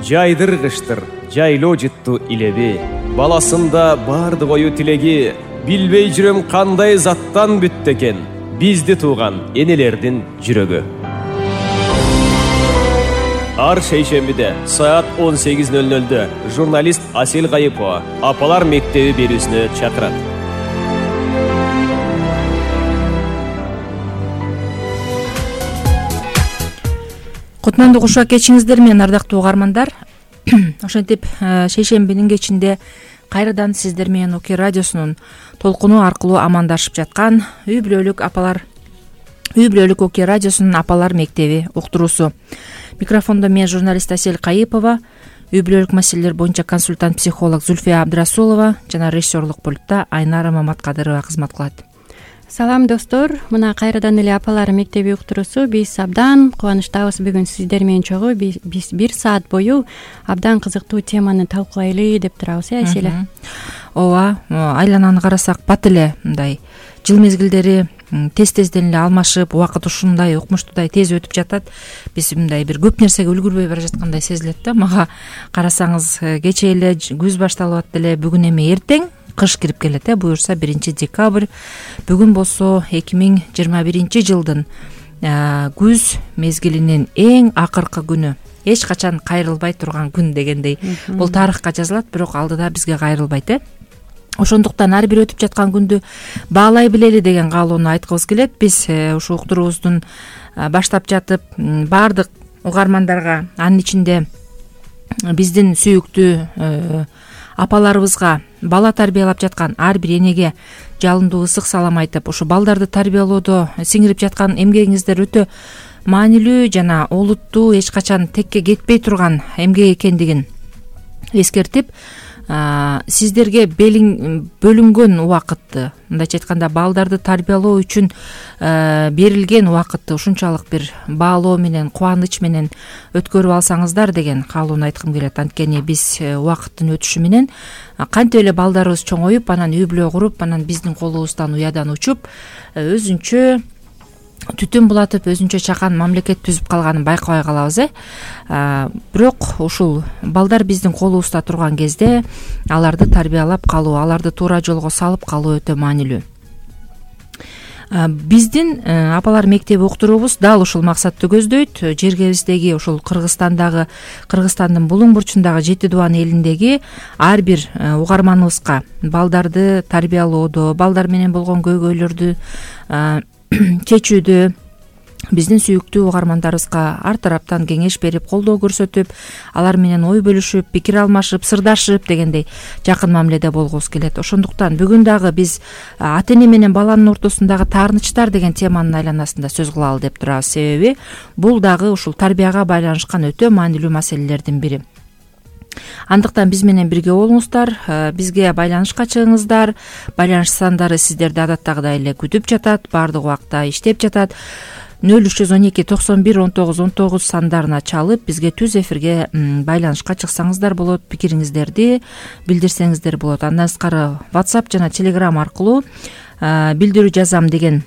Жайдыргыштыр, жайлоо жытту илеби. Баласында бардык ою тилеги. Билбей жүрөм кандай заттан бүттү экен бизди тууган энелердин жүрөгү. Ар шейшембиде саат 18:00 журналист Асел Кайыпова апалар мектеби берүүсүнө чакырат. Кутмандуу кушак кечиңиздер менен ардактуу угармандар. Ошентип шейшембинин кечинде кайрадан сиздер менен ОК радиосунун толкуну аркылуу амандашып жаткан үй бүлөлүк ОК радиосунун апалар мектеби уктуруусу. Микрофондо мен журналист Асел Кайыпова, үй бүлөлүк маселелер боюнча консультант психолог Зульфия Абдрасулова жана режиссерлук пультта Айнара Маматкадырова кызмат кылат. Салам достор, мына кайрадан эле апалар мектеби уктуруусу. Биз абдан кубанычтабыз бүгүн сиздер менен чогуу биз 1 саат бою абдан кызыктуу теманы талкуулайлы деп турабыз, Аселе. Ооба, айлананы карасак бат эле мындай жыл мезгилдери тез-тезден эле алмашып, убакыт ушундай укмуштуудай тез өтүп жатат. Биз мындай бир көп нерсеге үлгүрбөй бара жаткандай сезилет да. Мага карасаңыз кечээ эле күз башталып атты эле, бүгүн эми эртең кыш кирип келет, буюрса 1 декабрь. Бүгүн болсо 2021 жылдын күз мезгилинин эң акыркы күнү. Эч качан кайрылбай турган күн дегендей. Бул тарыхка жазылат, бирок алдыда бизге кайрылбайт. Ошондуктан ар бир өтүп жаткан күндү баалай билели деген каалоону айткыбыз келет. Биз ушул уктуруубуздун баштап жатып баардык угармандарга, анын ичинде биздин сүйүктүү апаларыбызга, бала тарбиялап жаткан ар бир энеге жалындуу ысык салам айтып, ушу балдарды тарбиялоодо сиңирип жаткан эмгегиңиздер өтө маанилүү жана олуттуу, эч качан текке кетпей турган эмгек экендигин эскертип, сиздерге бөлүнгөн убакытты, мындайча айтканда балдарды тарбиялоо үчүн берилген убакытты ушунчалык бир баалоо менен, кубаныч менен өткөрүп алсаңыздар деген каалоону айткым келет. Анткени биз убакыттын өтүшү менен кантип эле балдарыбыз чоңоюп, анан үй бүлө куруп, анан биздин колубуздан уядан учуп, өзүнчө түтүн булатып, өзүнчө чакан мамлекет түзүп калганын байкабай калабыз. Бирок ушул балдар биздин колубузда турган кезде аларды тарбиялап калуу, аларды туура жолго салып калуу өтө маанилүү. Биздин апалар мектеби уктуруубуз дал ушул максатты көздөйт. Жергебиздеги ушул Кыргызстандын булуң бурчундагы 7 Дубан элиндеги ар бир угарманыбызга балдарды тарбиялоодо, балдар менен болгон көйгөйлөрдү чечүүдө биздин сүйүктүү угармандарыбызга ар тараптан кеңеш берип, колдоо көрсөтүп, алар менен ой бөлүшүп, пикир алмашып, сырдашып дегендей жакын мамиледе болгубуз келет. Ошондуктан бүгүн дагы биз ата-эне менен баланын ортосундагы таарынычтар деген теманын айланасында сөз кылалы деп турабыз. Себеби бул дагы ушул тарбияга байланышкан өтө маанилүү маселелердин бири. Андыктан биз менен бирге болуңуздар, бизге байланышка чыгыңыздар. Байланыш сандары сиздерди адаттагыдай эле күтүп жатат, баардык убакта иштеп жатат. 0312 91 19 19 сандарына чалып, бизге түз эфирге байланышка чыксаңыздар болот, пикириңиздерди билдирсеңиздер болот. Андан сырткары WhatsApp жана Telegram аркылуу билдирүү жазам деген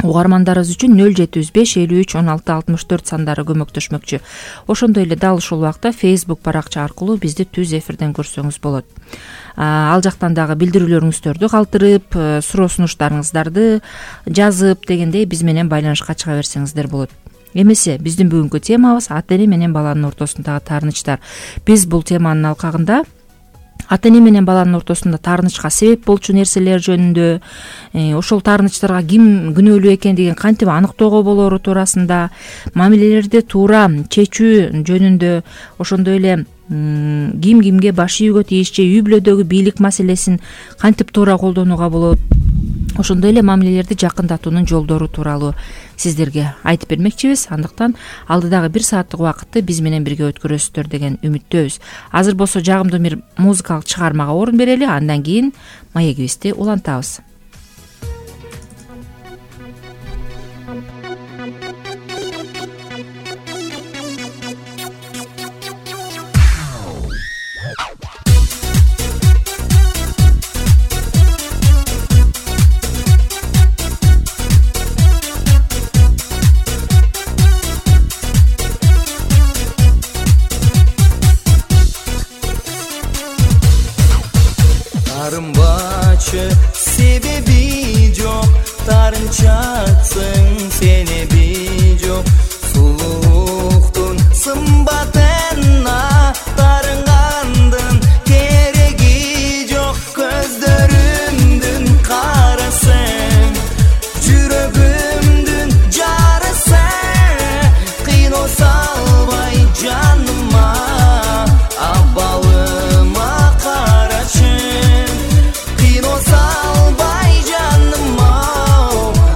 угармандарыбыз үчүн 075 53 16 64 сандары көмөктөшмөкчү. Ошондой эле дал ушул убакта Facebook баракча аркылуу бизди түз эфирден көрсөңүз болот. Ал жактан дагы билдирүүлөрүңүздөрдү калтырып, суроо сунуштарыңыздарды жазып дегендей биз менен байланышка чыга берсеңиздер болот. Эмесе биздин бүгүнкү темабыз ата-эне менен баланын ортосундагы таарынычтар. Биз бул теманын алкагында ата-эне менен баланын ортосунда таарынычка себеп болчу нерселер жөнүндө, ошол таарынычтарга ким күнөөлүү экендигин кантип аныктоого болору туурасында, мамилелерди туура чечүү жөнүндө, ошондой эле ким кимге баш ийүүгө тийиш же үй бүлөдөгү бийлик маселесин кантип туура колдонууга болот, ошондой эле мамилелерди жакындатуунун жолдору тууралуу сиздерге айтып бермекчибиз. Андыктан алдыдагы 1 сааттык убакытты биз менен бирге өткөрөсүздөр деген үмүттөбүз. Азыр болсо жагымдуу бир музыкалык чыгармага орун берели, андан кийин маегибизди улантабыз. жатсың сени бижок сулуулуктун сымбатына тарынгандын кереги жок көздөрүңдүн карасың жүрөгүмдүн жарысы кыйноо салбай жаныма абалыма карачы кыйноо салбай жаныма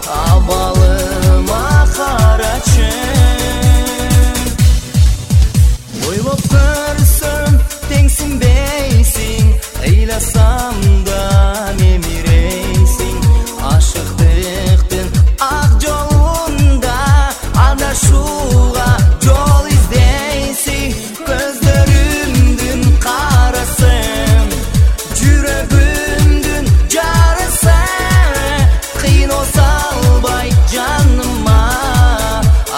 абалыма карачы ойлоп көрсөм теңсинбейсиң ыйласам да мемирейсиң ашыктыктын ак жолунда адашууга жол издейсиң көздөрүмдүн карасың жүрөгүмдүн жарысы кыйноо салбай жаныма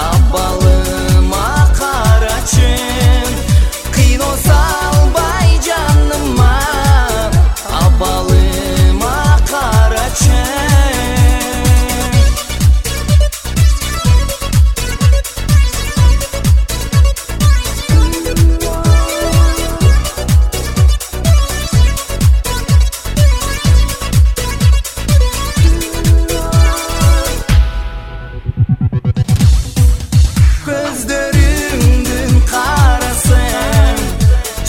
абалыма карачы кыйноо салбай жаныма абалыма карачы көздөрүңдүн карасың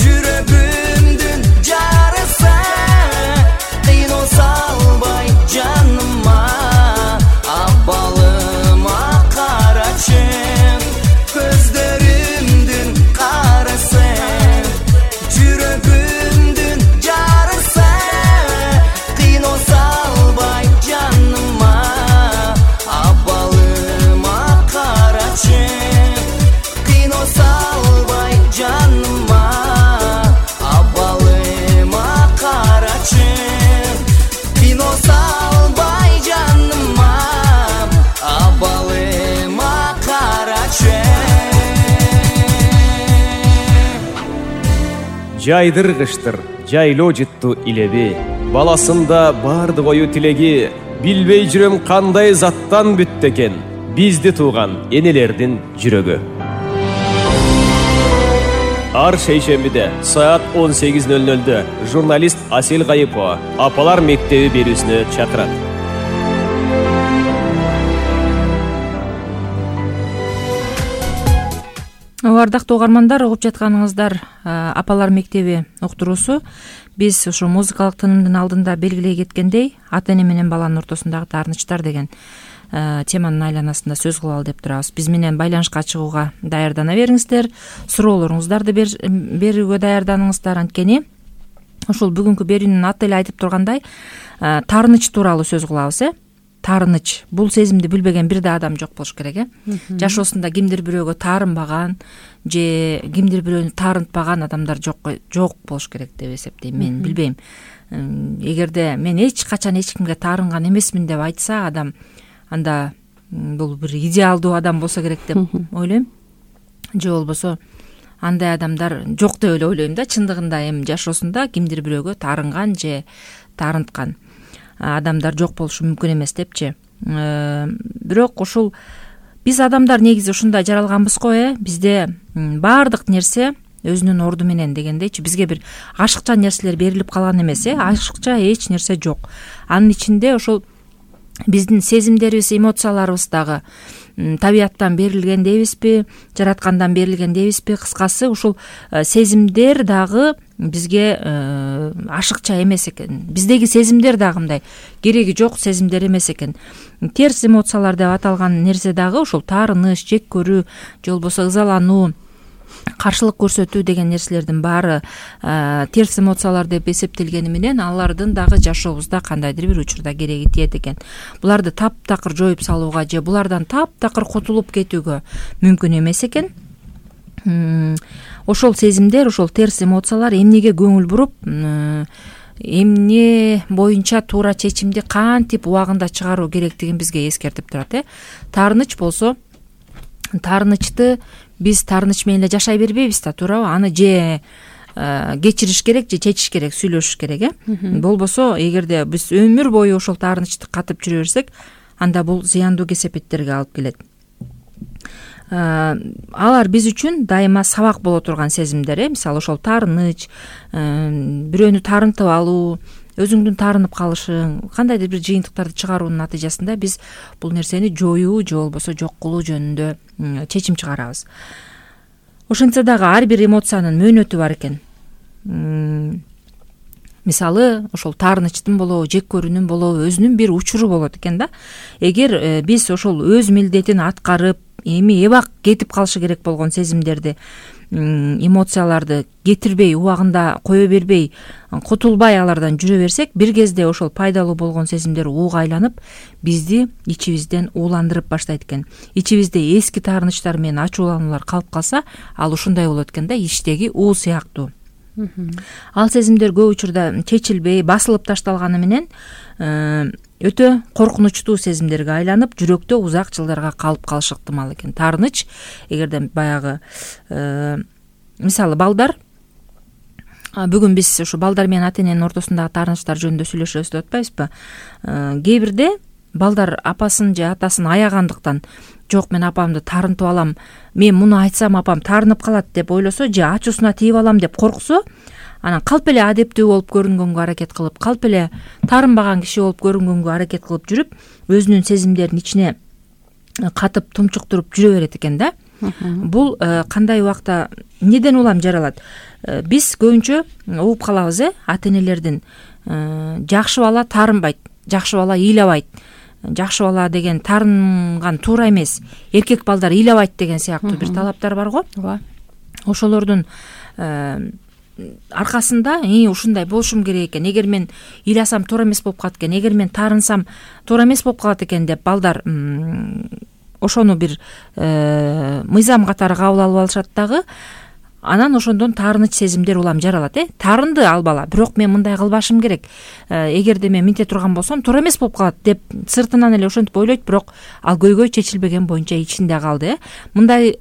жүрөгүмдүн жарысы кыйноо салбай жаныма абалыма карачы көздөрүмдүн карасың жүрөгүмдүн жарысы кыйноо салбай жаныма абалыма карачы кыйноо салбай жаныма абалыма карачы кыйноо салбай жаныма абалыма карачы жайдыргычтыр жайлоо жыттуу илеби баласында бардык ою тилеги билбей жүрөм кандай заттан бүттү экен бизди тууган энелердин жүрөгү. Ар шейшембиде саат 18:00 журналист Асел Кайыпова Апалар мектеби берүүсүнө чакырат. Ардактуу угармандар, угуп жатканыңыздар Апалар мектеби уктуруусу. Биз ушу музыкалык тынымдын алдында белгилей кеткендей, ата эне менен баланын ортосундагы таарынычтар деген теманын айланасында сөз кылалы деп турабыз. Биз менен байланышка чыгууга даярдана бериңиздер, суроолоруңуздарды берүүгө даярданыңыздар. Анткени ушул бүгүнкү берүүнүн аты эле айтып тургандай, таарыныч тууралуу сөз кылабыз. Таарыныч бул сезимди билбеген бир да адам жок болуш керек. Жашоосунда кимдир бирөөгө таарынбаган же кимдир бирөөнү таарынтпаган адамдар жок болуш керек деп эсептейм. Мен билбейм. Эгерде мен эч качан эч кимге таарынган эмесмин деп айтса адам, анда бул бир идеалдуу адам болсо керек деп ойлойм. Же болбосо андай адамдар жок деп эле ойлойм да. Чындыгында эми жашоосунда кимдир бирөөгө таарынган же таарынткан адамдар жок болушу мүмкүн эмес депчи. Бирок ушул биз адамдар негизи ушундай жаралганбыз го. Бизде баардык нерсе өзүнүн орду менен дегендейчи. Бизге бир ашыкча нерселер берилип калган эмес. Ашыкча эч нерсе жок. Анын ичинде ошол биздин сезимдерибиз, эмоцияларыбыз дагы табияттан берилген дейбизби, жараткандан берилген дейбизби? Кыскасы ушул сезимдер дагы бизге ашыкча эмес экен. Биздеги сезимдер дагы мындай кереги жок сезимдер эмес экен. Терс эмоциялар деп аталган нерсе дагы ушул таарыныч, жек көрүү, же болбосо ызалануу, каршылык көрсөтүү деген нерселердин баары терс эмоциялар деп эсептелгени менен алардын дагы жашообузда кандайдыр бир учурда кереги тиет экен. Буларды таптакыр жоюп салууга же булардан таптакыр кутулуп кетүүгө мүмкүн эмес экен. Ошол сезимдер, ошол терс эмоциялар эмнеге көңүл буруп, эмне боюнча туура чечимди кантип убагында чыгаруу керектигин бизге эскертип турат. Таарыныч болсо, таарынычты биз таарыныч менен эле жашай бербейбиз да, туурабы? Аны же кечириш керек, же чечиш керек, сүйлөшүш керек. Болбосо, эгерде биз өмүр бою ошол таарынычты катып жүрө берсек, анда бул зыяндуу кесепеттерге алып келет. Алар биз үчүн дайыма сабак боло турган сезимдер, мисалы ошол таарыныч, бирөөнү таарынтып алуу, өзүңдүн таарынып калышың, кандайдыр бир жыйынтыктарды чыгаруунун натыйжасында биз бул нерсени жоюу же болбосо жок кылуу жөнүндө чечим чыгарабыз. Ошентсе дагы ар бир эмоциянын мөөнөтү бар экен. Мисалы ошол таарынычтын болобу, жек көрүүнүн болобу өзүнүн бир учуру болот экен да. Эгер биз ошол өз милдетин аткарып, эми эбак кетип калышы керек болгон сезимдерди, эмоцияларды кетирбей, убагында кое бербей, кутулбай алардан жүрө берсек, бир кезде ошол пайдалуу болгон сезимдер ууга айланып, бизди ичибизден ууландырып баштайт экен. Ичибизде эски таарынычтар менен ачуулануулар калып калса, ал ушундай болот экен да, ичтеги уу сыяктуу. Ал сезимдер көп учурда чечилбей, басылып ташталганы менен өтө коркунучтуу сезимдерге айланып, жүрөктө узак жылдарга калып калышы ыктымал экен. Таарыныч, эгерде баягы мисалы балдар, бүгүн биз ушу балдар менен ата эненин ортосундагы таарынычтар жөнүндө сүйлөшөбүз деп атпайбызбы? Кээ бирде балдар апасын же атасын аягандыктан, жок мен апамды таарынтып алам, мен муну айтсам апам таарынып калат деп ойлосо, же ачуусуна тийип алам деп корксо, анан калп эле адептүү болуп көрүнгөнгө аракет кылып, калп эле таарынбаган киши болуп көрүнгөнгө аракет кылып жүрүп, өзүнүн сезимдерин ичине катып тумчуктуруп жүрө берет экен да. Бул кандай убакта эмнеден улам жаралат? Биз көбүнчө угуп калабыз, ата энелердин жакшы бала таарынбайт, жакшы бала ыйлабайт, жакшы бала деген таарынган туура эмес, эркек балдар ыйлабайт деген сыяктуу бир талаптар бар го. Ооба. Ошолордун аркасында ушундай болушум керек экен, эгер мен ыйласам туура эмес болуп калат экен, эгер мен таарынсам туура эмес болуп калат экен деп балдар ошону бир мыйзам катары кабыл алып алышат дагы. Анан ошондон таарыныч сезимдер улам жаралат. Таарынды ал бала, бирок мен мындай кылбашым керек, эгерде мен минте турган болсом туура эмес болуп калат деп сыртынан эле ошентип ойлойт, бирок ал көйгөй чечилбеген боюнча ичинде калды. Мындай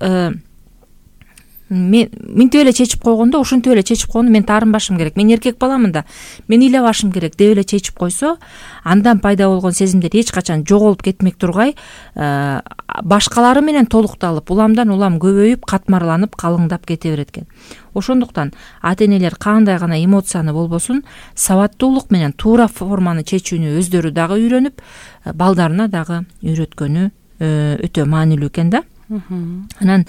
мен минтип эле чечип койгондо, ошентип эле чечип койгондо мен таарынбашым керек, мен эркек баламын да, мен ыйлабашым керек деп эле чечип койсо, андан пайда болгон сезимдер эч качан жоголуп кетмек тургай, башкалары менен толукталып, уламдан улам көбөйүп, катмарланып, калыңдап кете берет экен. Ошондуктан ата энелер кандай гана эмоцияны болбосун, сабаттуулук менен туура форманы чечүүнү өздөрү дагы үйрөнүп, балдарына дагы үйрөткөнү өтө маанилүү экен да. Анан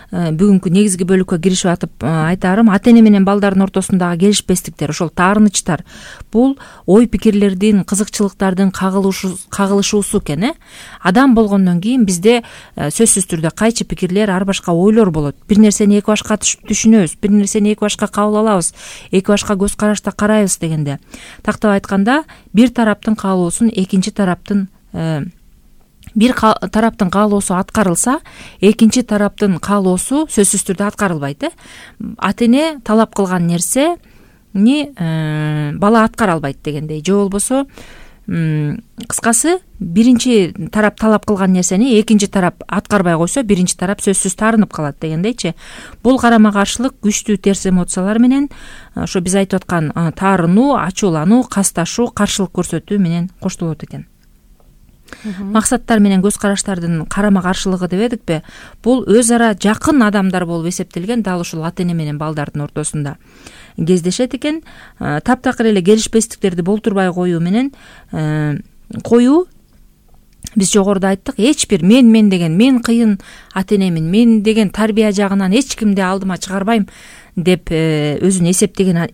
бүгүнкү негизги бөлүккө киришип атып айтарым, ата эне менен балдардын ортосундагы келишпестиктер, ошол таарынычтар, бул ой пикирлердин, кызыкчылыктардын кагылышуусу экен. Адам болгондон кийин бизде сөзсүз түрдө кайчы пикирлер, ар башка ойлор болот. Бир нерсени эки башка түшүнөбүз, бир нерсени эки башка кабыл алабыз, эки башка көз карашта карайбыз дегенде. Тактап айтканда, бир тараптын каалоосун экинчи тараптын бир тараптын каалоосу аткарылса, экинчи тараптын каалоосу сөзсүз түрдө аткарылбайт. Ата эне талап кылган нерсени бала аткара албайт дегендей. Же болбосо кыскасы, биринчи тарап талап кылган нерсени экинчи тарап аткарбай койсо, биринчи тарап сөзсүз таарынып калат дегендейчи. Бул карама каршылык күчтүү терс эмоциялар менен ошо биз айтып аткан таарынуу, ачуулануу, касташуу, каршылык көрсөтүү менен коштолот экен. Максаттар менен көз караштардын карама каршылыгы дебедикпи? Бул өз ара жакын адамдар болуп эсептелген, дал ушул ата эне менен балдардын ортосунда кездешет экен. Таптакыр эле келишпестиктерди болтурбай коюу менен биз жогоруда айттык, эч бир мен деген, мен кыйын ата энемин, мен деген тарбия жагынан эч кимди алдыма чыгарбайм деп өзүн эсептеген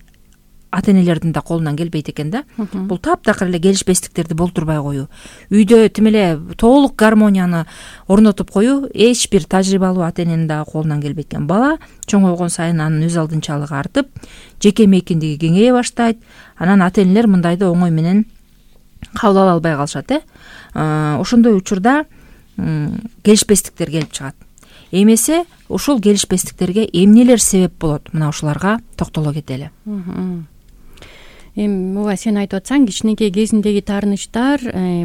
ата энелердин да колунан келбейт экен да. Бул таптакыр эле келишпестиктерди болтурбай коюу, үйдө тим эле толук гармонияны орнотуп коюу эч бир тажрыйбалуу ата эненин дагы колунан келбейт экен. Бала чоңойгон сайын анын өз алдынчалыгы артып, жеке мейкиндиги кеңейе баштайт. Анан ата энелер мындайды оңой менен кабыл ала албай калышат. Ошондой учурда келишпестиктер келип чыгат. Эмесе ушул келишпестиктерге эмнелер себеп болот? Мына ушуларга токтоло кетели. Эми ооба, сен айтып атсаң, кичинекей кезиндеги таарынычтар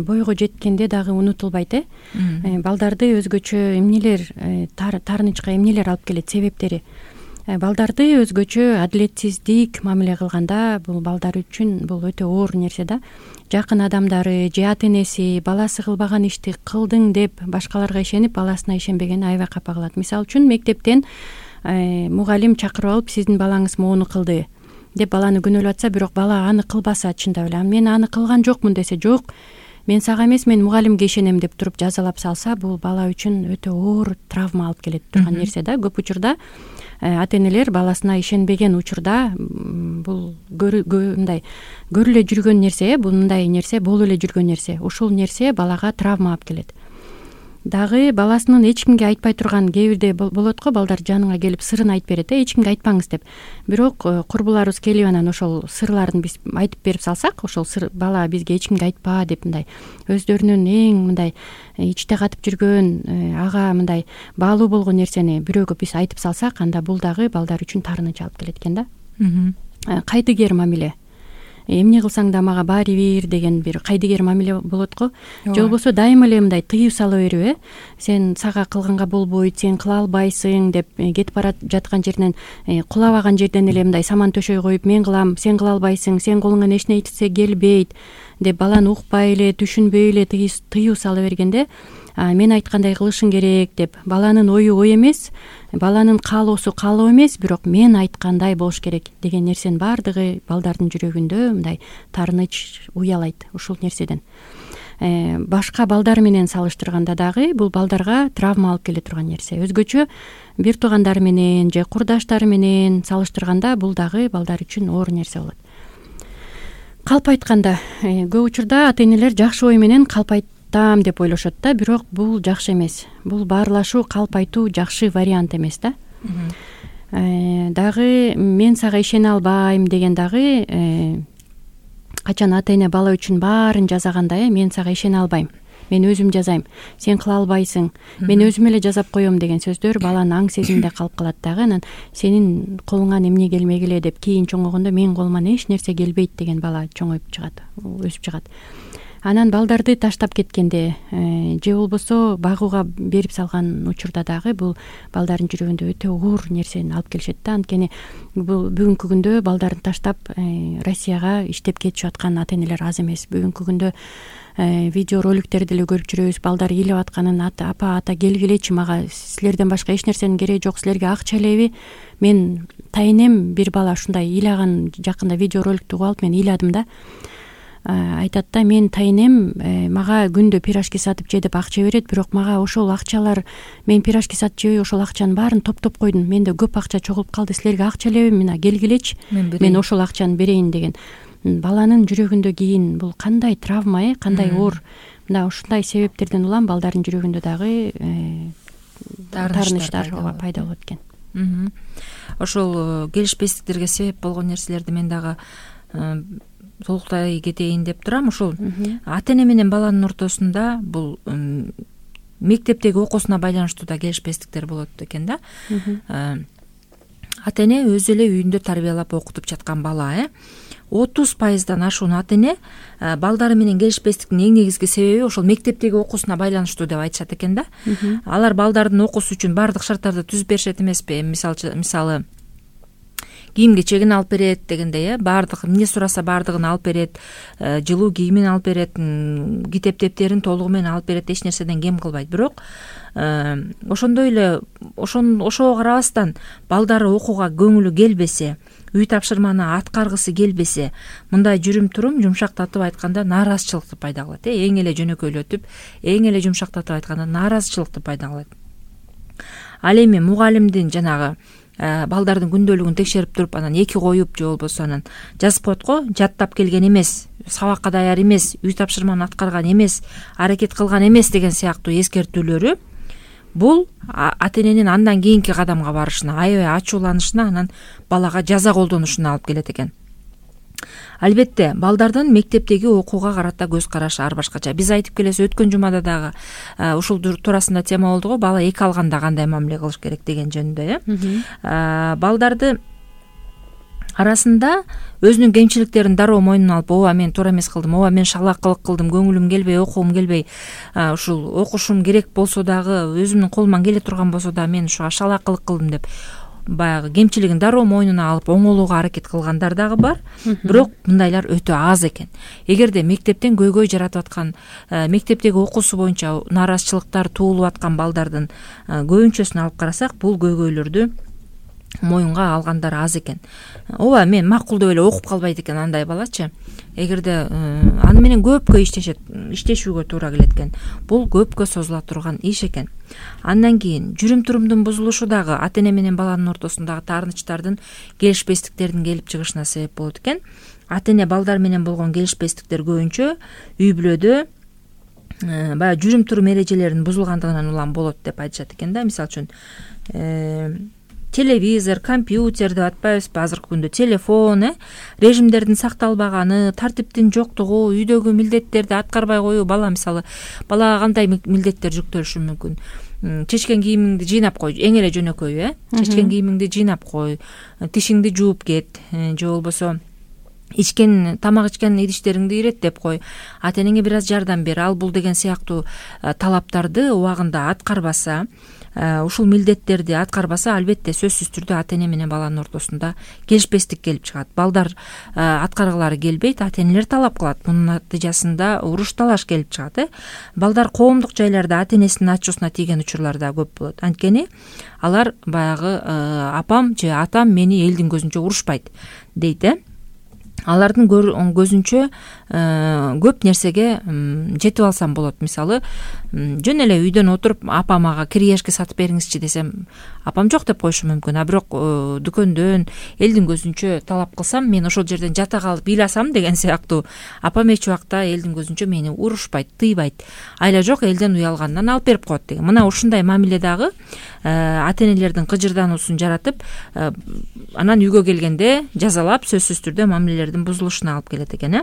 бойго жеткенде дагы унутулбайт. Балдарды өзгөчө эмнелер, таарынычка эмнелер алып келет, себептери. балдарды өзгөчө адилетсиздик мамиле кылганда бул балдар үчүн бул өтө оор нерсе да. Жакын адамдары же ата энеси баласы кылбаган ишти кылдың деп башкаларга ишенип баласына ишенбегени аябай капа кылат. Мисалы үчүн мектептен мугалим чакырып алып сиздин балаңыз моуну кылды деп баланы күнөөлөп атса, бирок бала аны кылбаса чындап эле мен аны кылган жокмун десе, жок мен сага эмес мен мугалимге ишенем деп туруп жазалап салса, бул бала үчүн өтө оор травма алып келет турган нерсе да. Көп учурда ата энелер баласына ишенбеген учурда бул мындай көрүлө жүргөн нерсе, мындай нерсе болуп эле жүргөн нерсе, ушул нерсе балага травма алып келет. Дагы баласынын эч кимге айтпай турган, кээ бирде болот го, балдар жаныңа келип сырын айтып берет, эч кимге айтпаңыз деп. Бирок курбуларыбыз келип анан ошол сырларын биз айтып берип салсак, ошол сыр бала бизге эч кимге айтпа деп мындай өздөрүнүн эң мындай ичте катып жүргөн, ага мындай баалуу болгон нерсени бирөөгө биз айтып салсак, анда бул дагы балдар үчүн таарыныч алып келет экен да. Кайдыгер мамиле. Эмне кылсаң да мага баары бир деген бир кайдыгер мамиле болот го. Же болбосо дайыма эле мындай тыюу сала берип, сен сага кылганга болбойт, сен кыла албайсың деп кетип бара жаткан жеринен, кулабаган жерден эле мындай саман төшөй коюп, мен кылам, сен кыла албайсың, сен колуңан эч нерсе келбейт деп баланы укпай эле, түшүнбөй эле тыюу сала бергенде, мен айткандай кылышың керек деп, баланын ою ой эмес, баланын каалоосу каалоо эмес, бирок мен айткандай болуш керек деген нерсенин баардыгы балдардын жүрөгүндө мындай таарыныч уялайт ушул нерседен. Башка балдар менен салыштырганда дагы бул балдарга травма алып келе турган нерсе. Өзгөчө бир туугандары менен же курдаштары менен салыштырганда бул дагы балдар үчүн оор нерсе болот. Калп айтканда, көп учурда ата энелер жакшы ой менен калп деп ойлошот да, бирок бул жакшы эмес. Бул баарлашуу, калп айтуу жакшы вариант эмес да. Дагы мен сага ишене албайм деген дагы качан ата эне бала үчүн баарын жасаганда, мен сага ишене албайм, мен өзүм жазайм, сен кыла албайсың, мен өзүм эле жазап коем деген сөздөр баланын аң сезиминде калып калат дагы. Анан сенин колуңан эмне келмегиле деп кийин чоңойгондо менин колуман эч нерсе келбейт деген бала чоңоюп чыгат, өсүп чыгат. Анан балдарды таштап кеткенде же болбосо багууга берип салган учурда дагы бул балдардын жүрөгүндө өтө оор нерсени алып келишет да. Анткени бул бүгүнкү күндө балдарын таштап Россияга иштеп кетишип аткан ата энелер аз эмес. Бүгүнкү күндө видео роликтерди эле көрүп жүрөбүз, балдар ыйлап атканын, апа ата келгилечи, мага силерден башка эч нерсенин кереги жок, силерге акча элеби? Мен тайынем, бир бала ушундай ыйлаган, жакында видео роликтти угуп алып мен ыйладым да. Айтат да, мен тайынем мага күндө пирожки сатып же деп акча берет, бирок мага ошол акчалар, мен пирожки сатып жебей ошол акчанын баарын топтоп койдум, менде көп акча чогулуп калды, силерге акча элеби, мына келгилечи, мен ошол акчаны берейин деген. Баланын жүрөгүндө кийин бул кандай травма, кандай оор. Мына ушундай себептерден улам балдардын жүрөгүндө дагы таарынычтар пайда болот экен. Ошол келишпестиктерге себеп болгон нерселерди мен дагы толуктай кетейин деп турам. Ошол ата эне менен баланын ортосунда бул мектептеги окуусуна байланыштуу да келишпестиктер болот экен да. Ата эне өзү эле үйүндө тарбиялап окутуп жаткан бала 30%дан ашуун ата эне балдары менен келишпестиктин эң негизги себеби ошол мектептеги окуусуна байланыштуу деп айтышат экен да. Алар балдардын окуусу үчүн баардык шарттарды түзүп беришет эмеспи? Мисалы кийим кечегин алып берет дегендей, баардык эмне сураса баардыгын алып берет, жылуу кийимин алып берет, китеп дептерин толугу менен алып берет, эч нерседен кем кылбайт. Бирок ошондой эле ошого карабастан балдары окууга көңүлү келбесе, үй тапшырманы аткаргысы келбесе, мындай жүрүм турум жумшактатып айтканда нааразычылыкты пайда кылат. Эң эле жөнөкөйлөтүп, эң эле жумшактатып айтканда нааразычылыкты пайда кылат. Ал эми мугалимдин жанагы балдардын күндөлүгүн текшерип туруп, анан 2 коюп же болбосо анан жазып коет го, жаттап келген эмес, сабакка даяр эмес, үй тапшырманы аткарган эмес, аракет кылган эмес деген сыяктуу эскертүүлөрү бул ата эненин андан кийинки кадамга барышына, аябай ачууланышына, анан балага жаза колдонушуна алып келет экен. Албетте, балдардын мектептеги окууга карата көз карашы ар башкача. Биз айтып келебиз, өткөн жумада дагы ушул туурасында тема болду го, бала эки алганда кандай мамиле кылыш керек деген жөнүндө. Балдарды арасында өзүнүн кемчиликтерин дароо мойнуна алып, ооба мен туура эмес кылдым, ооба мен шалаакылык кылдым, көңүлүм келбей, окугум келбей, ушул окушум керек болсо дагы, өзүмдүн колуман келе турган болсо да мен ушуга шалаакылык кылдым деп баягы кемчилигин дароо мойнуна алып оңолууга аракет кылгандар дагы бар, бирок мындайлар өтө аз экен. Эгерде мектептен көйгөй жаратып аткан, мектептеги окуусу боюнча нааразычылыктар туулуп аткан балдардын көбүнчөсүн алып карасак, бул көйгөйлөрдү моюнга алгандар аз экен. Ооба, мен макул деп эле окуп калбайт экен андай балачы. Эгерде аны менен көпкө иштешүүгө туура келет экен. Бул көпкө созула турган иш экен. Андан кийин жүрүм-турумдун бузулушу дагы ата-эне менен баланын ортосундагы таарынычтардын, келишпестиктердин келип чыгышына себеп болот экен. Ата-эне балдар менен болгон келишпестиктер көбүнчө үй бүлөдө баягы жүрүм-турум эрежелеринин бузулгандыгынан улам болот деп айтышат экен да. Мисалы үчүн телевизор, компьютер деп атпайбызбы азыркы күндө, телефон, режимдердин сакталбаганы, тартиптин жоктугу, үйдөгү милдеттерди аткарбай коюу. Балага кандай милдеттер жүктөлүшү мүмкүн? Чечкен кийимиңди жыйнап кой, эң эле жөнөкөйү, чечкен кийимиңди жыйнап кой, тишиңди жууп кет, же болбосо тамак ичкен идиштериңди иреттеп кой, ата-энеңе бир аз жардам бер, ал бул деген сыяктуу талаптарды убагында аткарбаса, ушул милдеттерди аткарбаса, албетте сөзсүз түрдө ата-эне менен баланын ортосунда келишпестик келип чыгат. Балдар аткаргылары келбейт, ата-энелер талап кылат. Мунун натыйжасында уруш талаш келип чыгат. Балдар коомдук жайларда ата-энесинин ачуусуна тийген учурлар да көп болот. Анткени алар баягы апам же атам мени элдин көзүнчө урушпайт дейт. Алардын көзүнчө көп нерсеге жетип алсам болот. Мисалы, жөн эле үйдөн отуруп апам мага кириешки сатып бериңизчи десем, апам жок деп коюшу мүмкүн. А бирок дүкөндөн элдин көзүнчө талап кылсам, мен ошол жерден жата калып ыйласам деген сыяктуу, апам эч убакта элдин көзүнчө мени урушпайт, тыйбайт. Айла жок, элден уялгандан алып берип коет деген. Мына ушундай мамиле дагы ата-энелердин кыжырдануусун жаратып, анан үйгө келгенде жазалап, сөзсүз түрдө мамилелердин бузулушуна алып келет экен.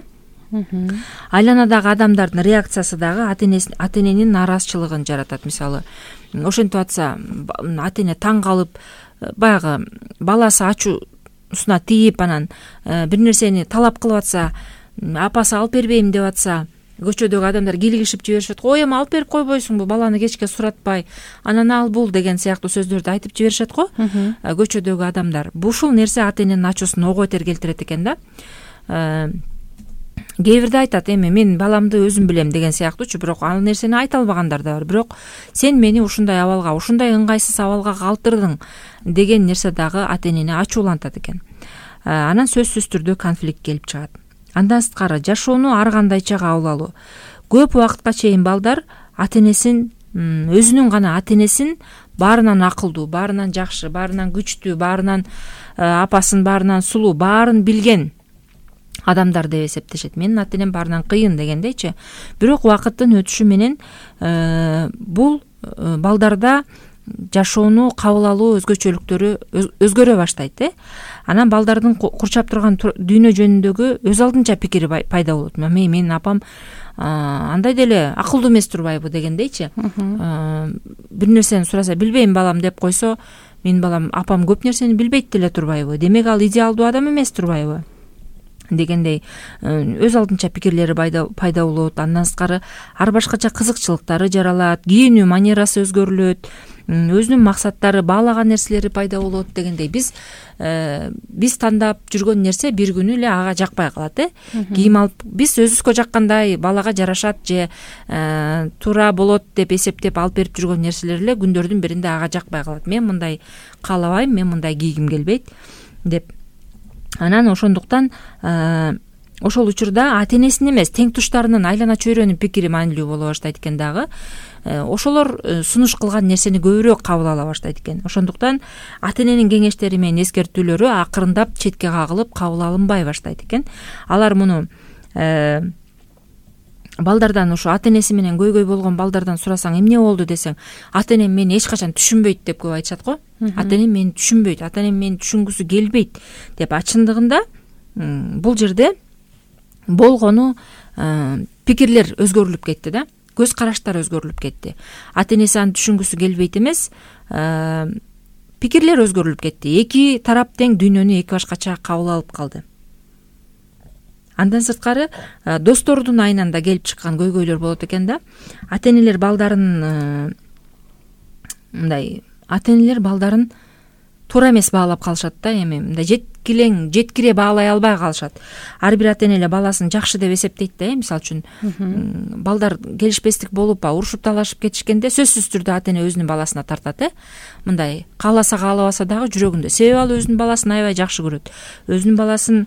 Айланадагы адамдардын реакциясы дагы ата-эненин нааразычылыгын жаратат. Мисалы, ошентип атса, ата-эне таң калып, баягы баласы ачуусуна тийип, анан бир нерсени талап кылып атса, апасы алып бербейм деп атса, көчөдөгү адамдар килигишип жиберишет. Ой, эми алып берип койбойсуңбу, баланы кечке суратпай, анан ал бул деген сыяктуу сөздөрдү айтып жиберишет го көчөдөгү адамдар. Ушул нерсе ата-эненин ачуусун ого бетер келтирет экен да. Кээ бирде айтат, эми мен баламды өзүм билем деген сыяктуучу, бирок ал нерсени айта албагандар да бар. Бирок сен мени ушундай абалга, ушундай ыңгайсыз абалга калтырдың деген нерсе дагы ата-энени ачуулантат экен. Анан сөзсүз түрдө конфликт келип чыгат. Андан сырткары жашоону ар кандайча кабыл алуу. Көп убакытка чейин балдар ата-энесин, өзүнүн гана ата-энесин баарынан акылдуу, баарынан жакшы, баарынан күчтүү, баарынан апасын баарынан сулуу, баарын билген адамдар деп эсептешет. Менин ата-энем баарынан кыйын дегендейчи. Бирок убакыттын өтүшү менен бул балдарда жашоону кабыл алуу өзгөчөлүктөрү өзгөрө баштайт. Анан балдардын курчап турган дүйнө жөнүндөгү өз алдынча пикири пайда болот. Менин апам андай деле акылдуу эмес турбайбы дегендейчи. Бир нерсени сураса, билбейм балам деп койсо, менин балам, апам көп нерсени билбейт деле турбайбы, демек ал идеалдуу адам эмес турбайбы дегендей өз алдынча пикирлери пайда болот. Андан сырткары ар башкача кызыкчылыктары жаралат, кийинүү манерасы өзгөрүлөт, өзүнүн максаттары, баалаган нерселери пайда болот дегендей. Биз тандап жүргөн нерсе бир күнү эле ага жакпай калат. Кийим алып, биз өзүбүзгө жаккандай, балага жарашат же туура болот деп эсептеп алып берип жүргөн нерселер эле күндөрдүн биринде ага жакпай калат. Мен мындай каалабайм, мен мындай кийгим келбейт деп. Анан ошондуктан ошол учурда ата-энесинин эмес, тең туштарынын, айлана чөйрөнүн пикири маанилүү боло баштайт экен дагы. Ошолор сунуш кылган нерсени көбүрөөк кабыл ала баштайт экен. Ошондуктан ата-эненин кеңештери менен эскертүүлөрү акырындап четке кагылып, кабыл алынбай баштайт экен. Алар муну балдардан, ушу ата-энеси менен көйгөй болгон балдардан сурасаң, эмне болду десең, ата-энем мени эч качан түшүнбөйт деп көп айтышат го. Ата-энем мени түшүнбөйт, ата-энем мени түшүнгүсү келбейт деп. Чындыгында бул жерде болгону пикирлер өзгөрүлүп кетти да, көз караштар өзгөрүлүп кетти. Ата-энеси аны түшүнгүсү келбейт эмес, пикирлер өзгөрүлүп кетти. Эки тарап тең дүйнөнү эки башкача кабыл алып калды. Андан сырткары достордун айынан да келип чыккан көйгөйлөр болот экен да. Ата-энелер балдарын туура эмес баалап калышат да, эми мындай жеткире баалай албай калышат. Ар бир ата эне эле баласын жакшы деп эсептейт да. Мисалы үчүн балдар келишпестик болуп урушуп талашып кетишкенде сөзсүз түрдө ата эне өзүнүн баласына тартат. Мындай кааласа каалабаса дагы жүрөгүндө, себеби ал өзүнүн баласын аябай жакшы көрөт. Өзүнүн баласын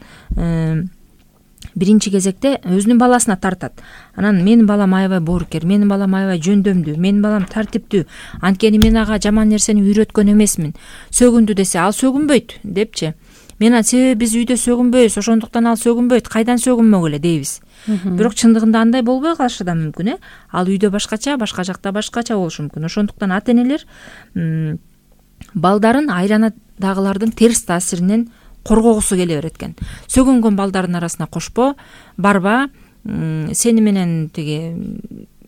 биринчи кезекте өзүнүн баласына тартат. Анан менин балам аябай боорукер, менин балам аябай жөндөмдүү, менин балам тартиптүү, анткени мен ага жаман нерсени үйрөткөн эмесмин. Сөгүндү десе ал сөгүнбөйт депчи. Мен себеби биз үйдө сөгүнбөйбүз, ошондуктан ал сөгүнбөйт, кайдан сөгүнмөгүлө дейбиз. Бирок чындыгында андай болбой калышы да мүмкүн. Ал үйдө башкача, башка жакта башкача болушу мүмкүн. Ошондуктан ата энелер балдарын айланадагылардын терс таасиринен коргогусу келе берет экен. Сөгүнгөн балдардын арасына кошпо, барба, сени менен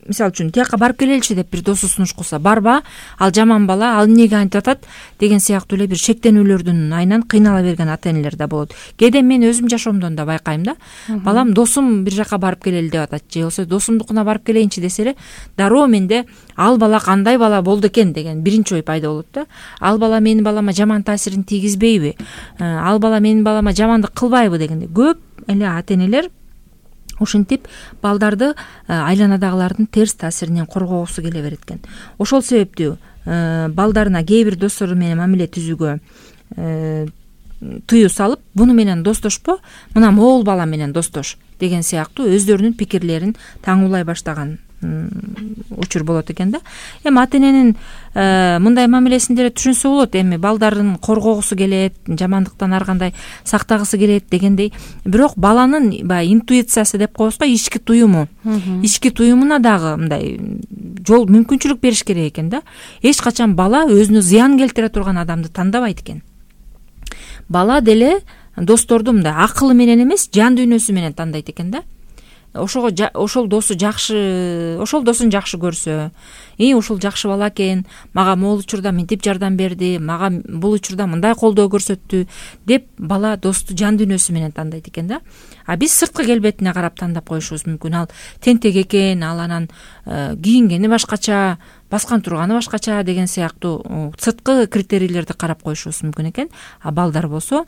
мисалы үчүн тияка барып келеличи деп бир досу сунуш кылса, барба, ал жаман бала, ал эмнеге антип атат деген сыяктуу эле бир шектенүүлөрдүн айынан кыйнала берген ата энелер да болот. Кээде мен өзүм жашоомдон да байкайм да. Балам досум бир жака барып келели деп атат, же болбосо досумдукуна барып келейинчи десе эле, дароо менде ал бала кандай бала болду экен деген биринчи ой пайда болот да. Ал бала менин балама жаман таасирин тийгизбейби? Ал бала менин балама жамандык кылбайбы дегенде көп эле ата энелер ушинтип балдарды айланадагылардын терс таасиринен коргогусу келе берет экен. Ошол себептүү балдарына кээ бир достору менен мамиле түзүүгө тыюу салып, буну менен достошпо, мына могул бала менен достош деген сыяктуу өздөрүнүн пикирлерин таңуулай баштаган учур болот экен да. Эми ата эненин мындай мамилесин деле түшүнсө болот. Эми балдарын коргогусу келет, жамандыктан ар кандай сактагысы келет дегендей. Бирок баланын баягы интуициясы деп коебузго, ички туюму. Ички туюмуна дагы мындай жол мүмкүнчүлүк бериш керек экен да. Эч качан бала өзүнө зыян келтире турган адамды тандабайт экен. Бала деле досторду мындай акылы менен эмес, жан дүйнөсү менен тандайт экен да. Ошол досын жакшы көрсө, ушул жакшы бала экен, мага могул учурда мынтип жардам берди, мага бул учурда мындай колдоо көрсөттү деп бала досту жан дүйнөсү менен тандайт экен да. А биз сырткы келбетине карап тандап коюшубуз мүмкүн. Ал тентек экен, ал анан кийингени башкача, баскан турганы башкача деген сыяктуу сырткы критерийлерди карап коюшубуз мүмкүн экен. А балдар болсо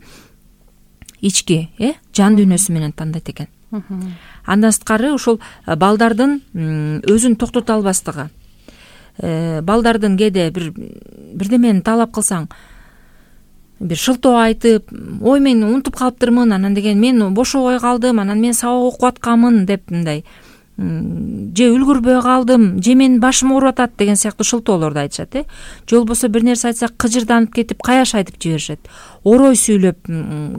ички, жан дүйнөсү менен тандайт экен. Андан сырткары ушул балдардын өзүн токтото албастыгы. Балдардын кээде бирдемени талап кылсаң, бир шылтоо айтып, ой мен унутуп калыптырмын, анан деген мен бошобой калдым, анан мен сабак окуп атканмын деп мындай, же үлгүрбөй калдым, же менин башым ооруп атат деген сыяктуу шылтоолорду айтышат. Же болбосо бир нерсе айтсак кыжырданып кетип каяш айтып жиберишет. Орой сүйлөп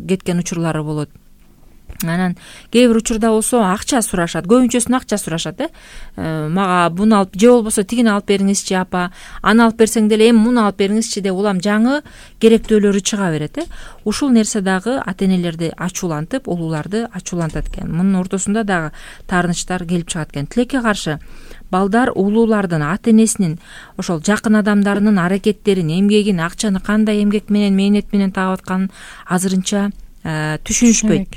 кеткен учурлары болот. Анан кээ бир учурда болсо акча сурашат, көбүнчөсүн акча сурашат. Мага буну алып, же болбосо тигини алып бериңизчи апа, аны алып берсең деле эми муну алып бериңизчи деп улам жаңы керектөөлөрү чыга берет. Ушул нерсе дагы ата энелерди ачуулантып, улууларды ачуулантат экен. Мунун ортосунда дагы таарынычтар келип чыгат экен. Тилекке каршы балдар улуулардын, ата энесинин, ошол жакын адамдарынын аракеттерин, эмгегин, акчаны кандай эмгек менен, мээнет менен таап атканын азырынча түшүнүшпөйт.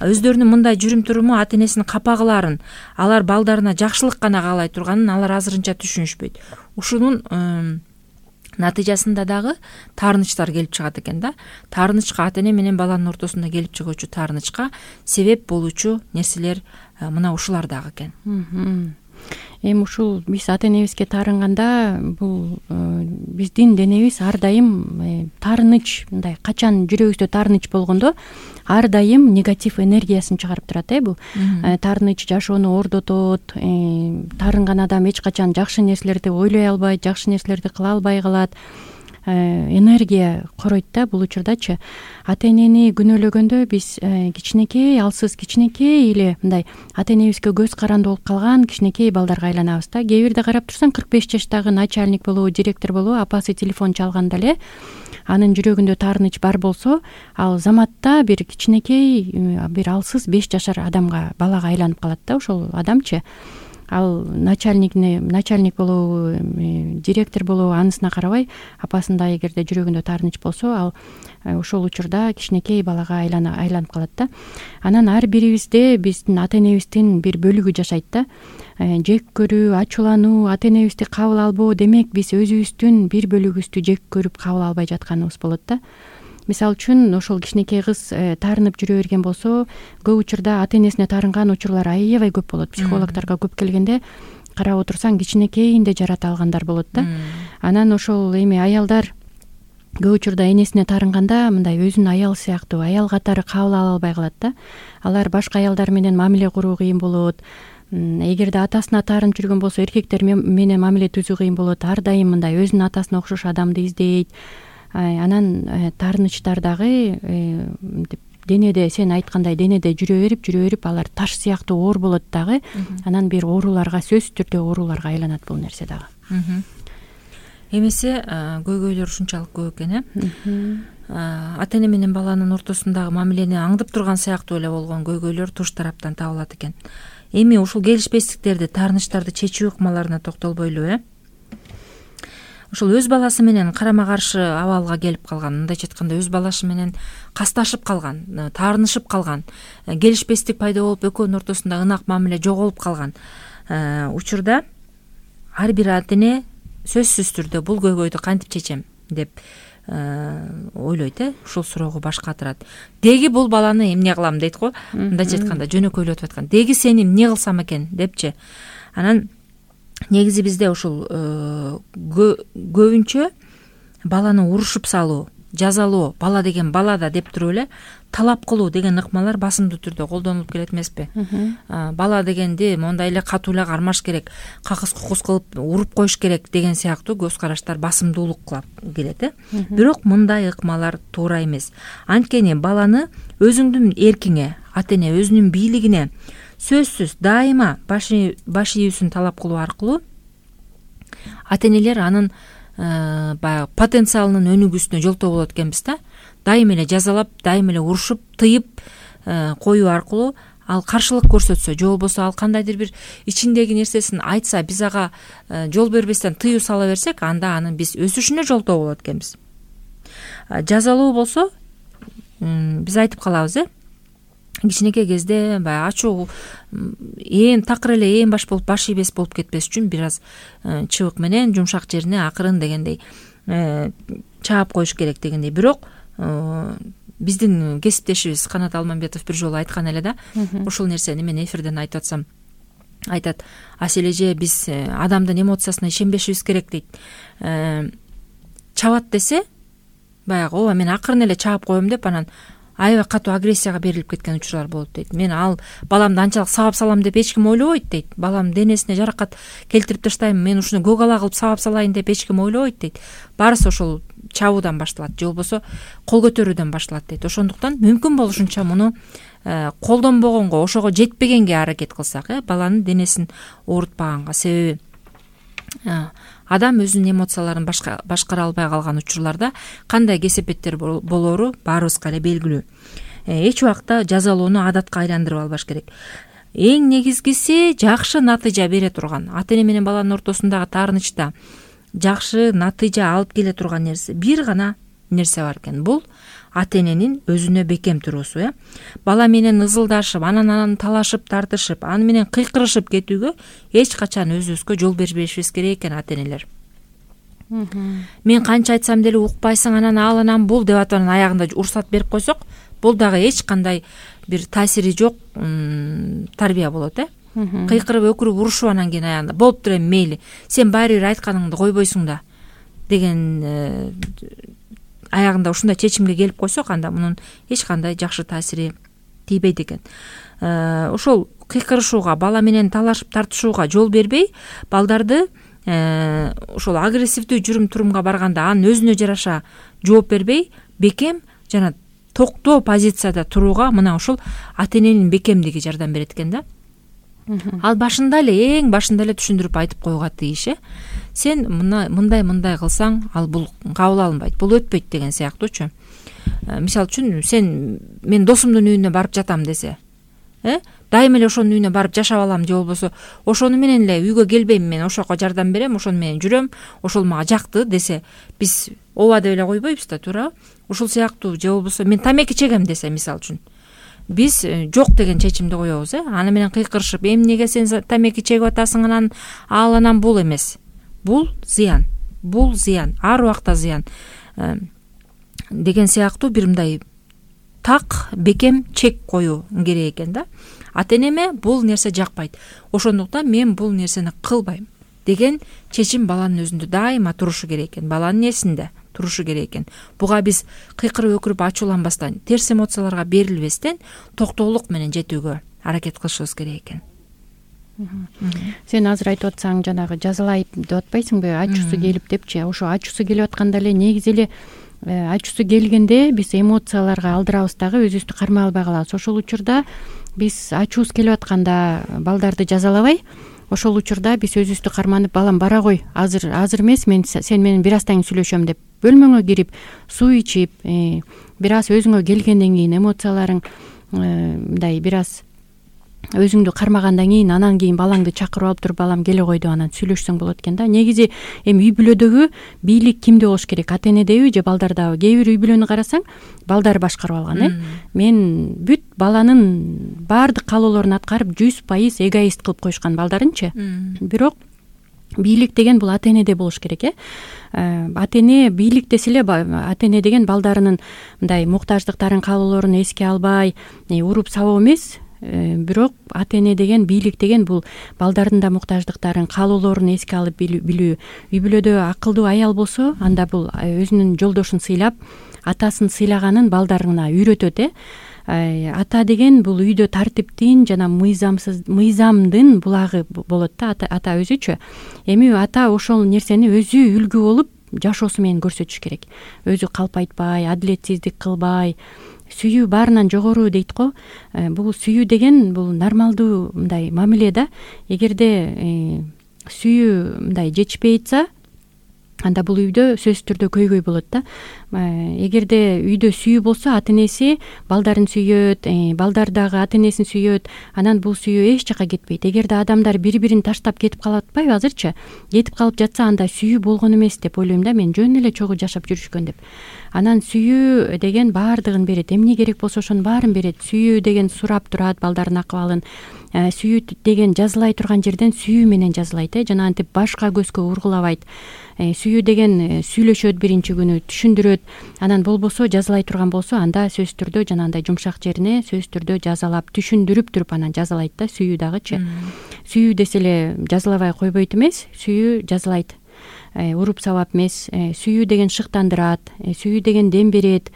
Өздөрүнүн мындай жүрүм туруму ата энесинин капа кылаарын, алар балдарына жакшылык гана каалай турганын алар азырынча түшүнүшпөйт. Ушунун натыйжасында дагы таарынычтар келип чыгат экен да. Таарынычка, ата эне менен баланын ортосунда келип чыгуучу таарынычка себеп болуучу нерселер мына ушулар дагы экен. Эми ушул биз ата энебизге таарынганда, бул биздин денебиз ар дайым таарыныч, мындай качан жүрөгүбүздө таарыныч болгондо ар дайым негатив энергиясын чыгарып турат. Бул таарыныч жашоону ордотот, таарынган адам эч качан жакшы нерселерди ойлой албайт, жакшы нерселерди кыла албай калат. Энергия коройт да бул учурдачы. Ата энени күнөөлөгөндө биз кичинекей, алсыз кичинекей эле мындай ата энебизге көз каранды болуп калган кичинекей балдарга айланабыз да. Кээ бирде карап турсаң 45 жаштагы начальник болобу, директор болобу, апасы телефон чалганда эле анын жүрөгүндө таарыныч бар болсо, ал заматта бир кичинекей, бир алсыз 5 жашар адамга, балага айланып калат да ошол адамчы. ал начальник болобу, директор болобу анысына карабай, апасында эгерде жүрөгүндө таарыныч болсо, ал ошол учурда кичинекей балага айланып калат да. Анан ар бирибизде биздин ата энебиздин бир бөлүгү жашайт да. Жек көрүү, ачуулануу, ата энебизди кабыл албоо, демек биз өзүбүздүн бир бөлүгүбүздү жек көрүп кабыл албай жатканыбыз болот да. Мисалы үчүн ошол кичинекей кыз таарынып жүрө берген болсо, көп учурда ата энесине таарынган учурлар аябай көп болот. Психологдорго көп келгенде карап отурсаң кичинекейинде жарата алгандар болот да. Анан ошол эми аялдар көп учурда энесине таарынганда мындай өзүнүн аялы сыяктуу, аял катары кабыл ала албай калат да. Алар башка аялдар менен мамиле куруу кыйын болот. Эгерде атасына таарынып жүргөн болсо, эркектер менен мамиле түзүү кыйын болот. Ар дайым мындай өзүнүн атасына окшош адамды издейт. Анан таарынычтар дагы денеде, сен айткандай денеде жүрө берип алар таш сыяктуу оор болот дагы. Анан бир ооруларга, сөзсүз түрдө ооруларга айланат бул нерсе дагы. Эмесе көйгөйлөр ушунчалык көп экен, ата эне менен баланын ортосундагы мамилени аңдып турган сыяктуу эле болгон көйгөйлөр туш тараптан табылат экен. Эми ушул келишпестиктерди, таарынычтарды чечүү ыкмаларына токтолбойлу, ушул өз баласы менен карама каршы абалга келип калган, мындайча айтканда өз баласы менен касташып калган, таарынышып калган, келишпестик пайда болуп экөөнүн ортосунда ынак мамиле жоголуп калган учурда ар бир ата эне сөзсүз түрдө бул көйгөйдү кантип чечем деп ойлойт, ушул суроого баш катырат. Деги бул баланы эмне кылам дейт го, мындайча айтканда жөнөкөйлөтүп айткан. Деги сени эмне кылсам экен депчи. Анан негизи бизде ушул көбүнчө баланы урушуп салуу, жазалоо, бала деген балада деп туруп эле талап кылуу деген ыкмалар басымдуу түрдө колдонулуп келет эмеспи? Бала дегенди мондай эле катуу эле кармаш керек, какыс кукус кылып уруп коюш керек деген сыяктуу көз караштар басымдуулук келет. Бирок мындай ыкмалар туура эмес. Анткени баланы өзүңдүн эркиңе, ата эне өзүнүн бийлигине сөзсүз дайыма баш ийүүсүн талап кылуу аркылуу ата энелер анын баягы потенциалынын өнүгүүсүнө жолтоо болот экенбиз да. Дайым эле жазалап, дайым эле урушуп, тыйып коюу аркылуу ал каршылык көрсөтсө, же болбосо ал кандайдыр бир ичиндеги нерсесин айтса, биз ага жол бербестен тыюу сала берсек, анда анын биз өсүшүнө жолтоо болот экенбиз. Жазалоо болсо биз айтып калабыз, кичинекей кезде баягы ачуу такыр эле ээн баш болуп, баш ийбес болуп кетпес үчүн бир аз чыбык менен жумшак жерине акырын дегендей чаап коюш керек дегендей. Бирок биздин кесиптешибиз Канат Алмамбетов бир жолу айткан эле да, ушул нерсени мен эфирден айтып атсам, айтат: Асель эже, биз адамдын эмоциясына ишенбешибиз керек дейт. Чабат десе, баягы ооба мен акырын эле чаап коем деп анан аябай катуу агрессияга берилип кеткен учурлар болот дейт. Мен ал баламды анчалык сабап салам деп эч ким ойлобойт дейт. Балам денесине жаракат келтирип таштайм, мен ушуну көк ала кылып сабап салайын деп эч ким ойлобойт дейт. Баарысы ошол чабуудан башталат, же болбосо кол көтөрүүдөн башталат дейт. Ошондуктан мүмкүн болушунча муну колдонбогонго, ошого жетпегенге аракет кылсак, баланын денесин оорутпаганга. Себеби адам өзүнүн эмоцияларын башкара албай калган учурларда кандай кесепеттер болору баарыбызга эле белгилүү. Эч убакта жазалоону адатка айландырып албаш керек. Эң негизгиси жакшы натыйжа бере турган, ата эне менен баланын ортосундагы таарынычта жакшы натыйжа алып келе турган нерсе, бир гана нерсе бар экен. Бул ата эненин өзүнө бекем туруусу. Бала менен ызылдашып, анан талашып, тартышып, аны менен кыйкырышып кетүүгө эч качан өзүбүзгө жол бербешибиз керек экен ата энелер. Мен канча айтсам деле укпайсың, анан бул деп атып анан аягында урсат берип койсок, бул дагы эч кандай бир таасири жок тарбия болот. Кыйкырып, өкүрүп, урушуп анан кийин аягында болуптур эми мейли, сен баары бир айтканыңды койбойсуң да деген аягында ушундай чечимге келип койсок, анда мунун эч кандай жакшы таасири тийбейт экен. Ошол кыйкырышууга, бала менен талашып тартышууга жол бербей, балдарды ошол агрессивдүү жүрүм турумга барганда анын өзүнө жараша жооп бербей, бекем жана токтоо позицияда турууга мына ушул ата эненин бекемдиги жардам берет экен да. Ал башында эле, эң башында эле түшүндүрүп айтып коюуга тийиш. Сен мындай кылсаң, ал бул кабыл алынбайт, бул өтпөйт деген сыяктуучу. Мисалы үчүн, мен досумдун үйүнө барып жатам десе, дайыма эле ошонун үйүнө барып жашап алам же болбосо ошону менен эле үйгө келбейм, мен ошого жардам берем, ошону менен жүрөм, ошол мага жакты десе, биз ооба деп эле койбойбуз да, туурабы? Ушул сыяктуу же болбосо мен тамеки чегем десе, мисалы үчүн биз жок деген чечимди коебуз. Аны менен кыйкырышып, эмнеге сен тамеки чегип атасың, анан ал анан бул эмес. Бул зыян, ар убакта зыян деген сыяктуу бир мындай так бекем чек коюу керек экен да. Ата-энеме бул нерсе жакпайт, ошондуктан мен бул нерсени кылбайм деген чечим баланын өзүндө дайыма турушу керек экен, баланын эсинде турушу керек экен. Буга биз кыйкырып өкүрүп ачууланбастан, терс эмоцияларга берилбестен токтоолук менен жетүүгө аракет кылышыбыз керек экен. Сен азыр айтып атсаң, жанагы жазалайт деп атпайсыңбы, ачуусу келип депчи. Ошо ачуусу келип атканда эле негизи эле ачуусу келгенде биз эмоцияларга алдырабыз дагы, өзүбүздү кармай албай калабыз. Ошол учурда биз ачуубуз келип атканда балдарды жазалабай, ошол учурда биз өзүбүздү карманып, балам бара кой, азыр эмес, сен менен бир аздан кийин сүйлөшөм деп бөлмөңө кирип, суу ичип, бир аз өзүңө келгенден кийин, эмоцияларың мындай бир аз өзүңдү кармагандан кийин, анан кийин балаңды чакырып алып туруп, балам келе кой деп анан сүйлөшсөң болот экен да. Негизи эми үй бүлөдөгү бийлик кимде болуш керек? Ата-энедеби же балдардабы? Кээ бир үй бүлөнү карасаң, балдар башкарып алган, мен бүт баланын баардык каалоолорун аткарып 100% эгоист кылып коюшкан балдарынчы. Бирок бийлик деген бул ата-энеде болуш керек, ата-эне бийлик десе эле, ата-эне деген балдарынын мындай муктаждыктарын, каалоолорун эске албай, уруп сабоо эмес. Бирок ата-эне деген, бийлик деген бул балдардын да муктаждыктарын, каалоолорун эске алып билүү. Үй бүлөдө акылдуу аял болсо, анда бул өзүнүн жолдошун сыйлап, атасын сыйлаганын балдарына үйрөтөт. Ата деген бул үйдө тартиптин жана мыйзамдын булагы болот да, ата өзүчө. Эми ата ошол нерсени өзү үлгү болуп жашоосу менен көрсөтүш керек. Өзү калпайтпай, адилетсиздик кылбай, сүйүү баарынан жогору дейт го. Бул сүйүү деген бул нормалдуу мындай мамиле да. Эгерде сүйүү мындай жетишпей атса, анда бул үйдө сөзсүз түрдө көйгөй болот да. Эгерде үйдө сүйүү болсо, ата-энеси балдарын сүйөт, балдар дагы ата-энесин сүйөт, анан бул сүйүү эч жака кетпейт. Эгерде адамдар бири-бирин таштап кетип калып атпайбы азырчы? Кетип калып жатса, анда сүйүү болгон эмес деп ойлойм да мен, жөн эле чогуу жашап жүрүшкөн деп. Анан сүйүү деген баардыгын берет, эмне керек болсо ошонун баарын берет. Сүйүү деген сурап турат балдардын акыбалын. Сүйүү деген жазылай турган жерден сүйүү менен жазылайт, жана антип башка көзгө ургулабайт. Сүйүү деген сүйлөшөт биринчи күнү, түшүндүрөт. Анан болбосо, жазалай турган болсо, анда сөзсүз түрдө жанагындай жумшак жерине сөзсүз түрдө жазалап, түшүндүрүп туруп анан жазалайт да. Сүйүү дагычы. Сүйүү десе эле жазалабай койбойт эмес, сүйүү жазалайт. Уруп сабап эмес. Сүйүү деген шыктандырат, сүйүү деген дем берет.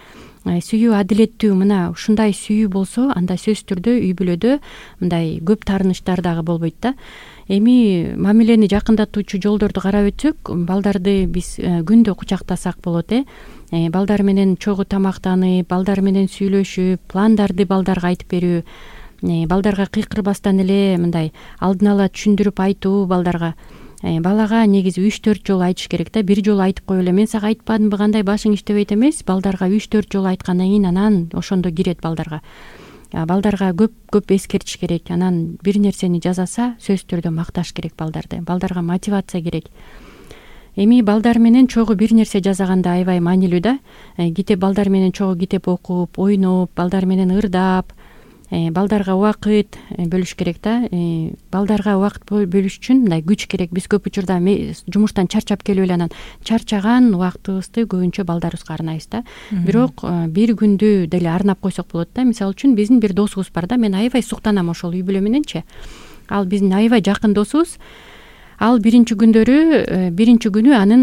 Сүйүү адилеттүү, мына ушундай сүйүү болсо, анда сөзсүз түрдө үй бүлөдө мындай көп таарынычтар дагы болбойт да. Эми мамилени жакындатуучу жолдорду карап өтсөк, балдарды биз күндө кучактасак болот. Балдар менен чогуу тамактанып, балдар менен сүйлөшүп, пландарды балдарга айтып берүү, балдарга кыйкырбастан эле мындай алдын ала түшүндүрүп айтуу балдарга. Балага негизи 3-4 жолу айтыш керек да. Бир жолу айтып коюп эле, мен сага айтпадымбы, кандай башың иштебейт эмес. Балдарга 3-4 жолу айткандан кийин анан ошондо кирет балдарга. Балдарга көп эскертиш керек. Анан бир нерсени жасаса, сөзсүз түрдө макташ керек балдарды. Балдарга мотивация керек. Эми балдар менен чогуу бир нерсе жасаганда аябай маанилүү да. Китеп, балдар менен чогуу китеп окуп, ойноп, балдар менен ырдап, балдарга убакыт бөлүш керек да. Балдарга убакыт бөлүш үчүн мындай күч керек. Биз көп учурда жумуштан чарчап келип эле анан чарчаган убактыбызды көбүнчө балдарыбызга арнайбыз да. Бирок бир күндү деле арнап койсок болот да. Мисалы үчүн биздин бир досубуз бар да. Мен аябай суктанам ошол үй бүлө мененчи. Ал биздин аябай жакын досубуз. Ал биринчи күнү анын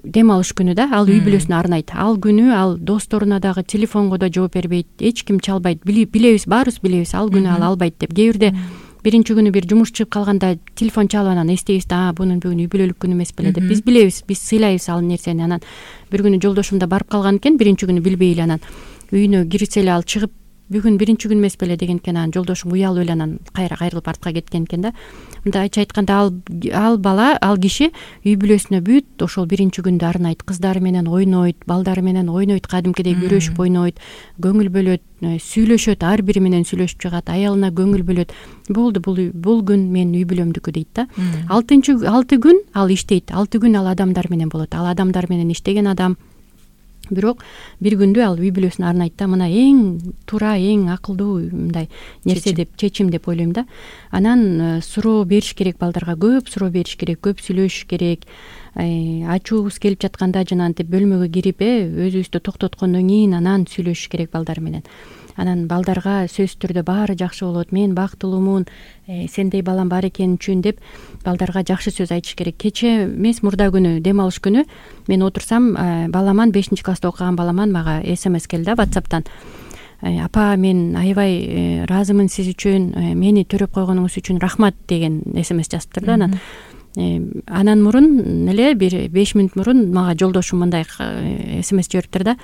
дем алыш күнү да. Ал үй бүлөсүнө арнайт. Ал күнү ал досторуна дагы телефонго да жооп бербейт, эч ким чалбайт. Билебиз, баарыбыз билебиз, ал күнү ал албайт деп. Кээ бирде биринчи күнү бир жумуш чыгып калганда телефон чалып анан эстейбиз да, бунун бүгүн үй бүлөлүк күнү эмес беле деп. Биз билебиз, биз сыйлайбыз ал нерсени. Анан бир күнү жолдошум да барып калган экен, биринчи күнү билбей эле анан үйүнө кирсе эле ал чыгып бүгүн биринчи күн эмес беле деген экен. Анан жолдошум уялып эле анан кайрылып артка кеткен экен да. Мындайча айтканда ал бала, ал киши үй бүлөсүнө бүт ошол биринчи күндү арнайт, кыздары менен ойнойт, балдары менен ойнойт, кадимкидей күрөшүп ойнойт, көңүл бөлөт, сүйлөшөт, ар бири менен сүйлөшүп чыгат, аялына көңүл бөлөт. Болду, бул күн менин үй бүлөмдүкү дейт да. 6 күн ал иштейт, 6 күн ал адамдар менен болот. Ал адамдар менен иштеген адам. Бирок бир күндү ал үй бүлөсүнө арнайт да. Мына эң туура, эң акылдуу мындай нерсе деп, чечим деп ойлойм да. Анан суроо бериш керек балдарга, көп суроо бериш керек, көп сүйлөшүш керек. Ачуубуз келип жатканда жанагынтип бөлмөгө кирип, өзүбүздү токтоткондон кийин анан сүйлөшүш керек балдар менен. Анан балдарга сөзсүз түрдө баары жакшы болот, мен бактылуумун, сендей балам бар экени үчүн деп балдарга жакшы сөз айтыш керек. Кече эмес, мурда күнү, дем алыш күнү мен отурсам, баламан 5-класста окуган баламан мага SMS келди WhatsApp'тан. Апа, мен аябай ыраазымын сиз үчүн, мени төрөп койгонуңуз үчүн рахмат деген SMS жазыптыр да. Анан мурун эле бир 5 мүнөт мурун мага жолдошум мындай SMS жибериптир да.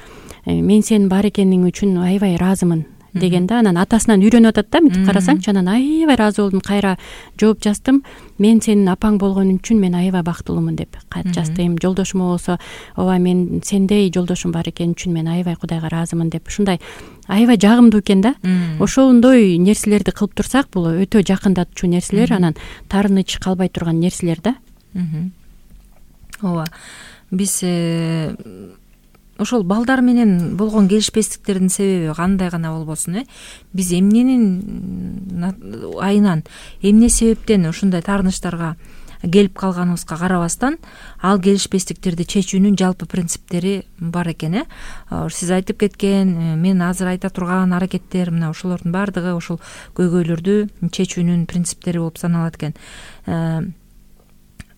Мен сенин бар экениң үчүн аябай ыраазымын деген да. Анан атасынан үйрөнүп атат да, мынтип карасаңчы. Анан аябай ыраазы болдум, кайра жооп жаздым. Мен сенин апаң болгон үчүн мен аябай бактылуумун деп кат жаздым. Жолдошума болсо, ооба, мен сендей жолдошум бар экени үчүн мен аябай Кудайга ыраазымын деп. Ушундай аябай жагымдуу экен да. Ошондой нерселерди кылып турсак, бул өтө жакындатчу нерселер, анан таарыныч калбай турган нерселер да. Ооба. Биз ошол балдар менен болгон келишпестиктердин себеби кандай гана болбосун, биз эмненин айынан, эмне себептен ушундай таарынычтарга келип калганыбызга карабастан, ал келишпестиктерди чечүүнүн жалпы принциптери бар экен. Сиз айтып кеткен, мен азыр айта турган аракеттер, мына ошолордун баардыгы ошол көйгөйлөрдү чечүүнүн принциптери болуп саналат экен.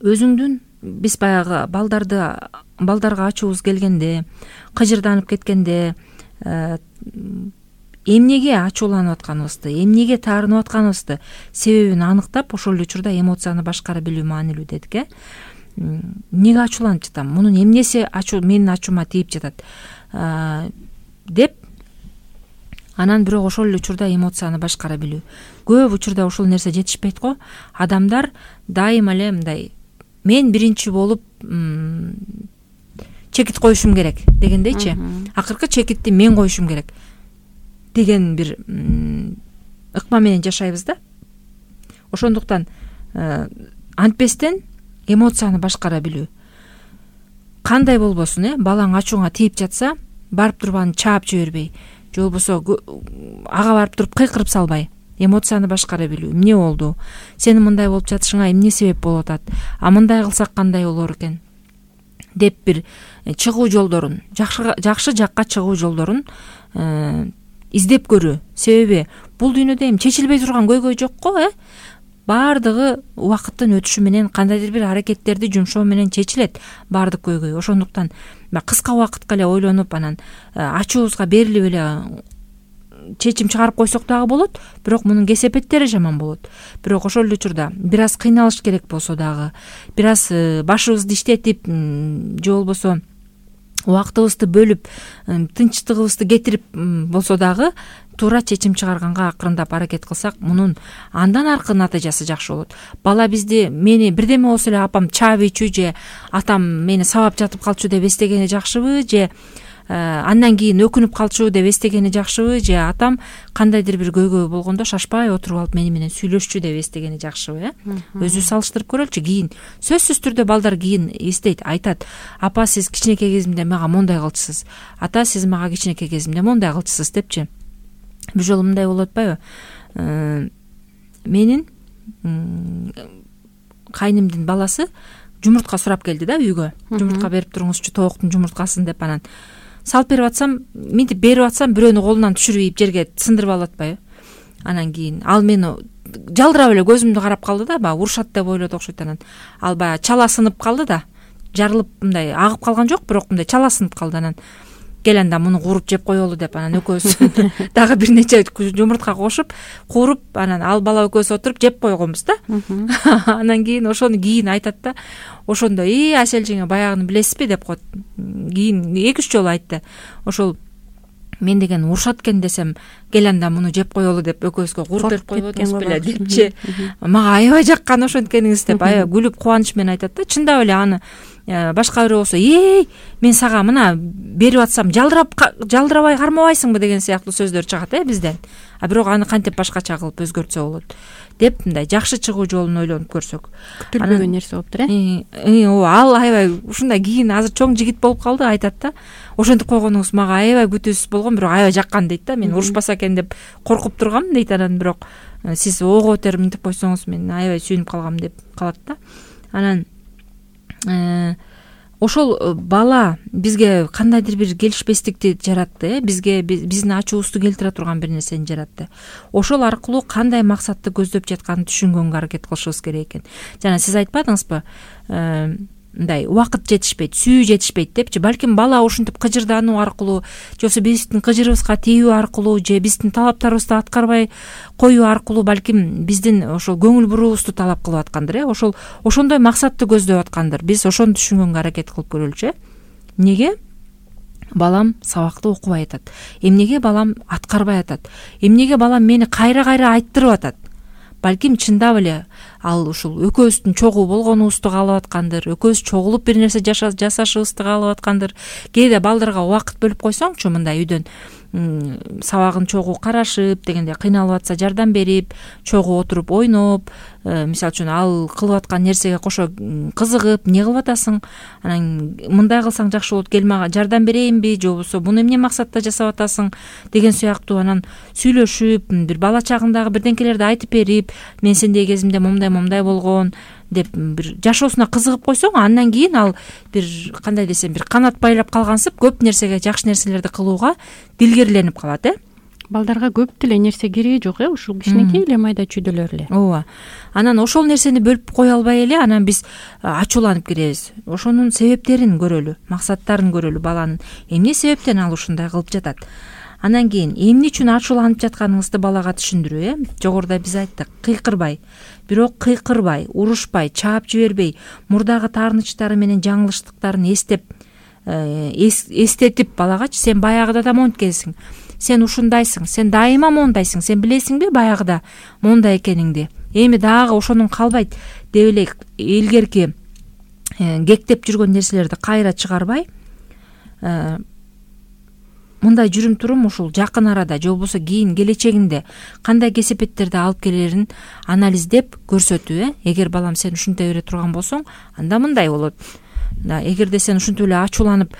Өзүңдүн биз баягы балдарга ачуубуз келгенде, кыжырданып кеткенде, эмнеге ачууланып атканыбызды, эмнеге таарынып атканыбызды себебин аныктап, ошол эле учурда эмоцияны башкара билүү маанилүү дедик. Эмнеге ачууланып жатам, мунун эмнеси менин ачуума тийип жатат деп, анан бирок ошол эле учурда эмоцияны башкара билүү. Көп учурда ушул нерсе жетишпейт го. Адамдар дайыма эле мындай, мен биринчи болуп чекит коюшум керек дегендейчи, акыркы чекитти мен коюшум керек деген бир ыкма менен жашайбыз да. Ошондуктан антпестен эмоцияны башкара билүү. Кандай болбосун, балаң ачууңа тийип жатса, барып туруп аны чаап жибербей, же болбосо ага барып туруп кыйкырып салбай, эмоцияны башкара билүү. Эмне болду? Сенин мындай болуп жатышыңа эмне себеп болуп атат? Мындай кылсак кандай болор экен? Деп бир чыгуу жолдорун, жакшы жакка чыгуу жолдорун издеп көрүү. Себеби бул дүйнөдө эми чечилбей турган көйгөй жок го, баардыгы убакыттын өтүшү менен, кандайдыр бир аракеттерди жумшоо менен чечилет баардык көйгөй. Ошондуктан кыска убакытка эле ойлонуп, анан ачуубузга берилип эле чечим чыгарып койсок дагы болот, бирок мунун кесепеттери жаман болот. Бирок ошол эле учурда бир аз кыйналыш керек болсо дагы, бир аз башыбызды иштетип, же болбосо убактыбызды бөлүп, тынчтыгыбызды кетирип болсо дагы туура чечим чыгарганга акырындап аракет кылсак, мунун андан аркы натыйжасы жакшы болот. Бала мени бирдеме болсо эле апам чаабыйчу, же атам мени сабап жатып калчу деп эстегени жакшыбы, же андан кийин өкүнүп калчу деп эстегени жакшыбы, же атам кандайдыр бир көйгөй болгондо шашпай отуруп алып мени менен сүйлөшчү деп эстегени жакшыбы. Өзүбүз салыштырып көрөлүчү. Кийин сөзсүз түрдө балдар кийин эстейт, айтат: апа, сиз кичинекей кезимде мага мондай кылчысыз, ата, сиз мага кичинекей кезимде мондай кылчысыз депчи. Бир жолу мындай болуп атпайбы? Менин кайнымдын баласы жумуртка сурап келди да үйгө. Жумуртка берип туруңузчу, тооктун жумурткасын деп. Анан салып берип атсам, минтип берип атсам, бирөөнү колунан түшүрүп жерге сындырып алып атпайбы? Анан кийин ал мени жалдырап эле көзүмдү карап калды да, баягы урушат деп ойлоду окшойт. Анан ал баягы чала сынып калды да, жарылып мындай агып калган жок, бирок мындай чала сынып калды. Анан кел анда муну кууруп жеп коелу деп, анан экөөбүз дагы бир нече жумуртка кошуп кууруп, анан ал бала экөөбүз отуруп жеп койгонбуз да. Анан кийин ошону кийин айтат да, ошондо Асель жеңе баягыны билесизби деп коет. Кийин 2-3 жолу айтты. Ошол мен деген урушат экен десем, кел анда муну жеп коелу деп экөөбүзгө кууруп берип койбодуңуз беле депчи. Мага аябай жаккан ошенткениңиз деп аябай күлүп кубаныч менен айтат да. Чындап эле аны башка бирөө болсо, мен сага мына берип атсам жалдырабай кармабайсыңбы деген сыяктуу сөздөр чыгат бизден. А бирок аны кантип башкача кылып өзгөртсө болот деп мындай жакшы чыгуу жолун ойлонуп көрсөк. Күтүлбөгөн нерсе болуптур ооба, ал аябай ушундай кийин азыр чоң жигит болуп калды, айтат да. Ошентип койгонуңуз мага аябай күтүүсүз болгон, бирок аябай жаккан дейт да. Мен урушпаса экен деп коркуп тургам дейт. Анан бирок сиз ого бетер мынтип койсоңуз мен аябай сүйүнүп калгам деп калат да. Анан ошол бала бизге кандайдыр бир келишпестикти жаратты, бизге биздин ачуубузду келтире турган бир нерсени жаратты. Ошол аркылуу кандай максатты көздөп жатканын түшүнгөнгө аракет кылышыбыз керек экен. Жана сиз айтпадыңызбы, мындай убакыт жетишпейт, сүйүү жетишпейт депчи. Балким бала ушинтип кыжырдануу аркылуу, же болбосо биздин кыжырыбызга тийүү аркылуу, же биздин талаптарыбызды аткарбай коюу аркылуу балким биздин ошол көңүл буруубузду талап кылып аткандыр. Ошондой максатты көздөп аткандыр. Биз ошону түшүнгөнгө аракет кылып көрөлүчү. Эмнеге балам сабакты окубай атат? Эмнеге балам аткарбай атат? Эмнеге балам мени кайра айттырып атат? Балким чындап эле ал ушул экөөбүздүн чогуу болгонубузду каалап аткандыр, экөөбүз чогулуп бир нерсе жасашыбызды каалап аткандыр. Кээде балдарга убакыт бөлүп койсоңчу, мындай үйдөн сабагын чогуу карашып дегенде кыйналып атса жардам берип, чогуу отуруп ойноп, мисалы үчүн ал кылып аткан нерсеге кошо кызыгып, эмне кылып атасың? Анан мындай кылсаң жакшы болот, кел мага жардам берейинби, же болбосо буну эмне максатта жасап атасың деген сыяктуу анан сүйлөшүп, бир бала чагындагы бирдеңкелерди айтып берип, мен сендей кезимде момдай болгон деп бир жашоосуна кызыгып койсоң, андан кийин ал бир кандай десем, бир канат байлап калгансып көп нерсеге, жакшы нерселерди кылууга дилгерленип калат. Балдарга көп деле нерсе кереги жок, ушул кичинекей эле майда чүйдөлөр эле. Ооба. Анан ошол нерсени бөлүп кое албай эле анан биз ачууланып киребиз. Ошонун себептерин көрөлү, максаттарын көрөлү, баланын эмне себептен ал ушундай кылып жатат. Анан кийин эмне үчүн ачууланып жатканыңызды балага түшүндүрүү. Жогоруда биз айттык, кыйкырбай, бирок кыйкырбай, урушпай, чаап жибербей, мурдагы таарынычтары менен жаңылыштыктарын эстетип балагачы, сен баягыда да монткенсиң, сен ушундайсың, сен дайыма мондайсың, сен билесиңби баягыда мондай экениңди, эми дагы ошонун калбайт деп эле илгерки кектеп жүргөн нерселерди кайра чыгарбай, мындай жүрүм турум ушул жакын арада же болбосо кийин келечегинде кандай кесепеттерди алып келерин анализдеп көрсөтүү. Эгер балам сен ушинтей бере турган болсоң, анда мындай болот. Эгерде сен ушинтип эле ачууланып,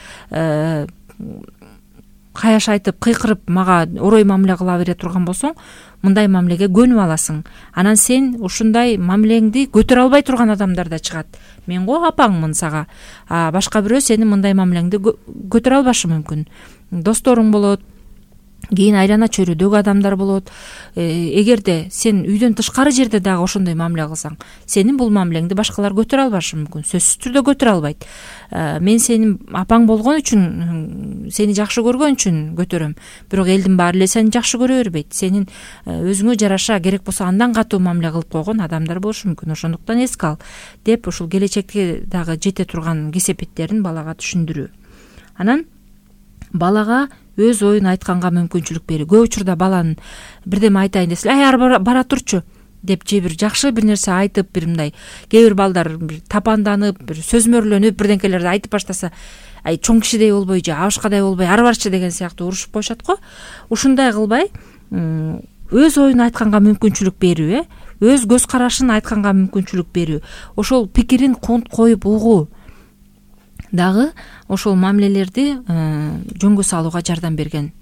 каяш айтып, кыйкырып мага орой мамиле кыла бере турган болсоң, мындай мамилеге көнүп аласың. Анан сен ушундай мамилеңди көтөрө албай турган адамдар да чыгат. Мен го апаңмын сага, башка бирөө сенин мындай мамилеңди көтөрө албашы мүмкүн. Досторуң болот, кийин айлана чөйрөдөгү адамдар болот. Эгерде сен үйдөн тышкары жерде дагы ошондой мамиле кылсаң, сенин бул мамилеңди башкалар көтөрө албашы мүмкүн, сөзсүз түрдө көтөрө албайт. Мен сенин апаң болгон үчүн, сени жакшы көргөн үчүн көтөрөм, бирок элдин баары эле сени жакшы көрө бербейт. Сенин өзүңө жараша, керек болсо андан катуу мамиле кылып койгон адамдар болушу мүмкүн. Ошондуктан эске ал деп ушул келечекте дагы жете турган кесепеттерин балага түшүндүрүү. Анан балага өз оюн айтканга мүмкүнчүлүк берүү. Көп учурда баланын бирдеме айтайын десе, бара турчу деп же бир жакшы бир нерсе айтып, бир мындай кээ бир балдар бир тапанданып, бир сөзмөрлөнүп бирдеңкелерди айтып баштаса, чоң кишидей болбой же абышкадай болбой ары барчы деген сыяктуу урушуп коюшат го. Ушундай кылбай, өз оюн айтканга мүмкүнчүлүк берүү, өз көз карашын айтканга мүмкүнчүлүк берүү, ошол пикирин коюп угуу дагы ошол мамилелерди жөнгө салууга жардам берген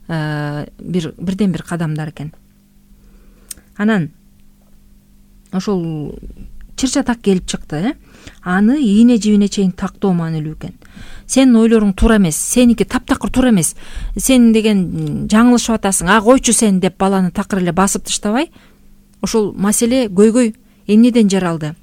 бирден бир кадамдар экен. Анан ошол чыр-чатак келип чыкты. Аны ийне жибине чейин тактоо маанилүү экен. Сенин ойлоруң туура эмес, сеники таптакыр туура эмес, сен деген жаңылышып атасың, койчу сен деп баланы такыр эле басып таштабай, ошол маселе көйгөй эмнеден жаралды,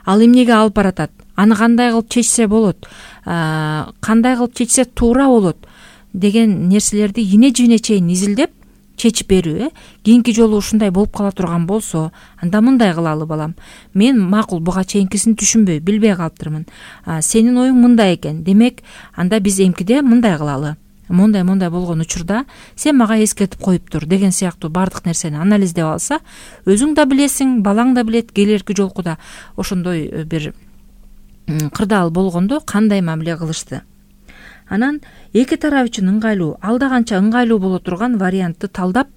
ал эмнеге алып баратат, аны кандай кылып чечсе болот, кандай кылып чечсе туура болот деген нерселерди ийне жибине чейин изилдеп чечип берүү. Кийинки жолу ушундай болуп кала турган болсо, анда мындай кылалы балам. Мен макул буга чейинкисин түшүнбөй, билбей калыптырмын. Сенин оюң мындай экен. Демек, анда биз эмкиде мындай кылалы. мондай болгон учурда сен мага эскертип коюп тур деген сыяктуу баардык нерсени анализдеп алса, өзүң да билесиң, балаң да билет, келерки жолку да ошондой бир кырдаал болгондо кандай мамиле кылышты. Анан эки тарап үчүн ыңгайлуу, алда канча ыңгайлуу боло турган вариантты талдап,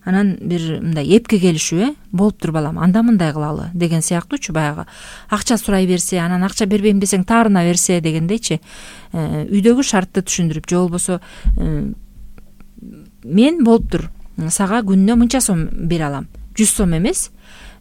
анан бир мындай эпке келишүү, болуптур балам, анда мындай кылалы деген сыяктуучу, баягы акча сурай берсе, анан акча бербейм десең таарына берсе дегендейчи, үйдөгү шартты түшүндүрүп, же болбосо мен болуптур, сага күнүнө мынча сом бере алам, 100 сом эмес,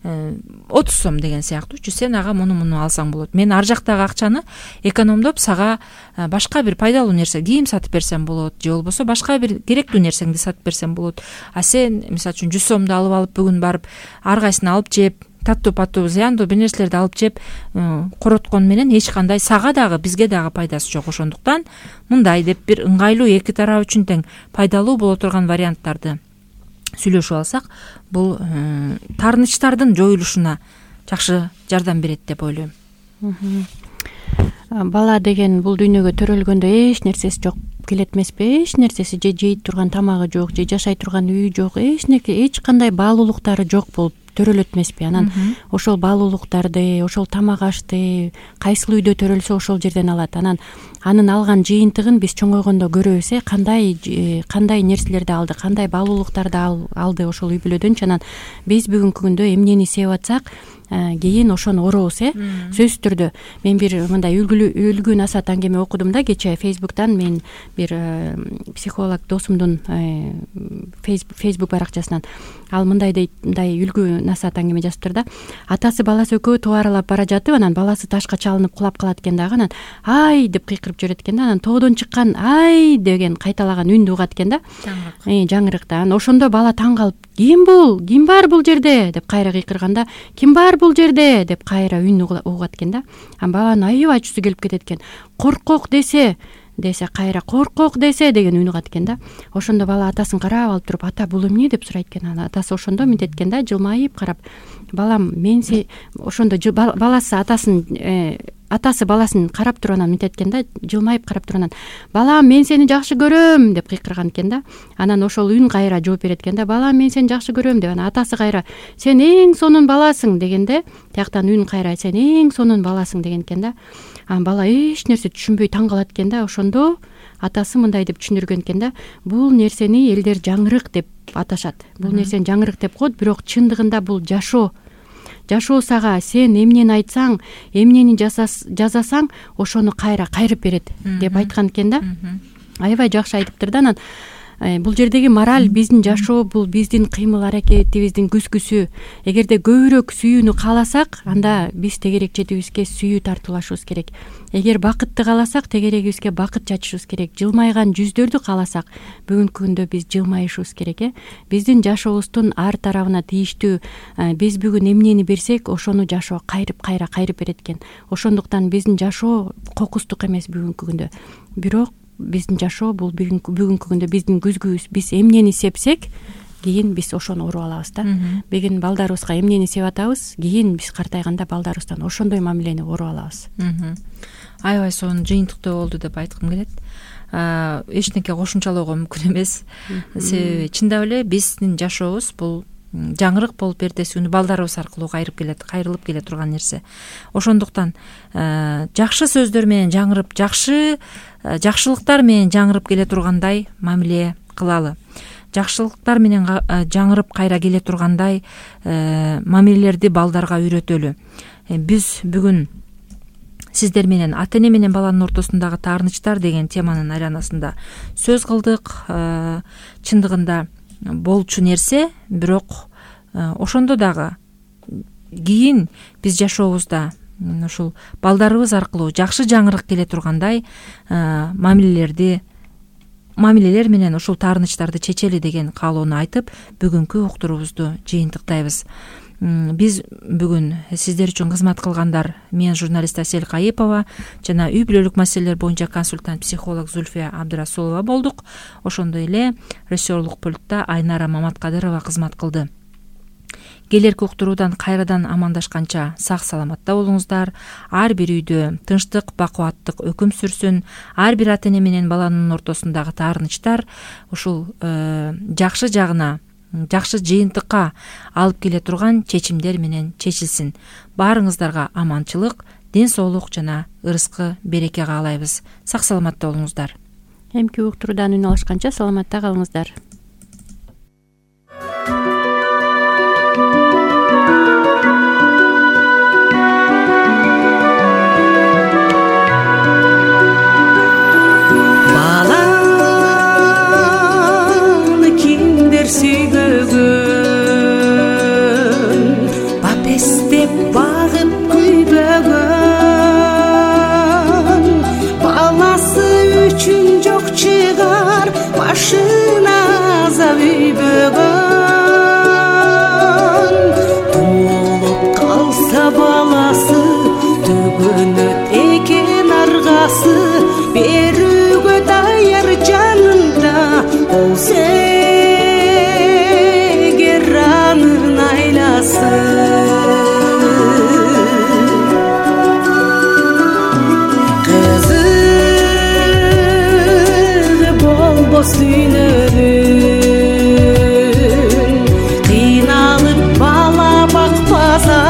30 сом деген сыяктуучу, сен ага муну алсаң болот. Мен ар жактагы акчаны экономдоп сага башка бир пайдалуу нерсе, кийим сатып берсем болот, же болбосо башка бир керектүү нерсеңди сатып берсем болот. А сен мисалы үчүн 100 сомду алып бүгүн барып ар кайсысын алып жеп, таттуу зыяндуу бир нерселерди алып жеп короткон менен эч кандай сага дагы бизге дагы пайдасы жок. Ошондуктан мындай деп бир ыңгайлуу, эки тарап үчүн тең пайдалуу боло турган варианттарды сүйлөшүп алсак, бул таарынычтардын жоюлушуна жакшы жардам берет деп ойлойм. Бала деген бул дүйнөгө төрөлгөндө эч нерсеси жок келет эмеспи? Эч нерсеси, же жей турган тамагы жок, же жашай турган үйү жок, эч кандай баалуулуктары жок болуп төрөлөт эмеспи? Анан ошол баалуулуктарды, ошол тамак ашты кайсыл үйдө төрөлсө ошол жерден алат. Анын алган жыйынтыгын биз чоңойгондо көрөбүз, кандай нерселерди алды, кандай баалуулуктарды алды ошол үй бүлөдөнчү. Анан биз бүгүнкү күндө эмнени сеп атсак, кийин ошону орообуз. Сөзсүз түрдө мен бир мындай үлгү насаат аңгеме окудум да кече Facebook'тан. Мен бир психолог досумдун Facebook баракчасынан. Ал мындай үлгү насаат аңгеме жазыптыр да. Атасы баласы экөө тоо аралап бара жатып, анан баласы ташка чалынып кулап калат экен дагы, анан ай деп кыйкырып жүрөт экен да. Анан тоодон чыккан ай деген кайталаган үндү угат экен да. Жаңырыкта. Анан ошондо бала таң калып, ким бул? Ким бар бул жерде? деп кайра кыйкырганда, ким бар бул жерде? деп кайра үн угат экен да. Анан баланын аябай ачуусу келип кетет экен. Коркок десе кайра коркок десе деген үн угат экен да. Ошондо бала атасын карап алып туруп, ата бул эмне деп сурайт экен. Анан атасы ошондо мынтет экен да, жылмайып карап, балам мен ошондо баласы атасы баласын карап туруп анан мынтет экен да, жылмайып карап туруп анан, балам мен сени жакшы көрөм деп кыйкырган экен да. Анан ошол үн кайра жооп берет экен да, балам мен сени жакшы көрөм деп. Анан атасы кайра, сен эң сонун баласың дегенде, тияктан үн кайра, сен эң сонун баласың деген экен да. Анан бала эч нерсе түшүнбөй таң калат экен да. Ошондо атасы мындай деп түшүндүргөн экен да, бул нерсени элдер жаңырык деп аташат. Бул нерсени жаңырык деп коет, бирок чындыгында бул жашоо. Жашоо сага сен эмнени айтсаң, эмнени жасасаң, ошону кайра кайрып берет деп айткан экен да. Аябай жакшы айтыптыр да. Анан бул жердеги мораль, биздин жашоо бул биздин кыймыл аракетибиздин күзгүсү. Эгерде көбүрөөк сүйүүнү кааласак, анда биз тегерекчетибизге сүйүү тартуулашыбыз керек. Эгер бакытты кааласак, тегерегибизге бакыт чачышыбыз керек. Жылмайган жүздөрдү кааласак, бүгүнкү күндө биз жылмайышыбыз керек. Биздин жашообуздун ар тарабына тийиштүү, биз бүгүн эмнени берсек, ошону жашоо кайра кайрып берет экен. Ошондуктан биздин жашоо кокустук эмес бүгүнкү күндө. Бирок биздин жашоо бул бүгүнкү күндө биздин күзгүбүз. Биз эмнени сепсек, кийин биз ошону уруп алабыз да. Бүгүн балдарыбызга эмнени сеп атабыз, кийин биз картайганда балдарыбыздан ошондой мамилени уруп алабыз. Аябай сонун жыйынтыктуу болду деп айткым келет. Эчтеке кошумчалоого мүмкүн эмес. Себеби чындап эле биздин жашообуз бул жаңырык болуп эртеси күнү балдарыбыз аркылуу кайрылып келе турган нерсе. Ошондуктан жакшы сөздөр менен жаңырып, жакшылыктар менен жаңырып келе тургандай мамиле кылалы. Жакшылыктар менен жаңырып кайра келе тургандай мамилелерди балдарга үйрөтөлү. Биз бүгүн сиздер менен ата эне менен баланын ортосундагы таарынычтар деген теманын айланасында сөз кылдык. Чындыгында болчу нерсе, бирок ошондо дагы кийин биз жашообузда ушул балдарыбыз аркылуу жакшы жаңырык келе тургандай мамилелер менен ушул таарынычтарды чечели деген каалоону айтып, бүгүнкү уктуруубузду жыйынтыктайбыз. Биз бүгүн сиздер үчүн кызмат кылгандар мен журналист Асель Кайыпова жана үй бүлөлүк маселелер боюнча консультант психолог Зульфия Абдырасулова болдук. Ошондой эле режиссерлук пультта Айнара Маматкадырова кызмат кылды. келерки уктуруудан кайрадан амандашканча сак саламатта болуңуздар. Ар бир үйдө тынчтык, бакубаттык өкүм сүрсүн. Ар бир ата эне менен баланын ортосундагы таарынычтар ушул жакшы жагына, жакшы жыйынтыкка алып келе турган чечимдер менен чечилсин. Баарыңыздарга аманчылык, ден соолук жана ырыскы береке каалайбыз. Сак саламатта болуңуздар. Эмки уктуруудан үн алышканча саламатта калыңыздар. Баланы кимдер сүйбөгөн, бапестеп багып күйбөгөн, баласы үчүн жок чыгар башына азап үйбөгөн. Туулуп калса баласы төгөнөт экен аргасы, берүүгө даяр жанында болсо эгер анын айласы. Кызыгы болбос дүйнөнүн, кыйналып бала бакпаса,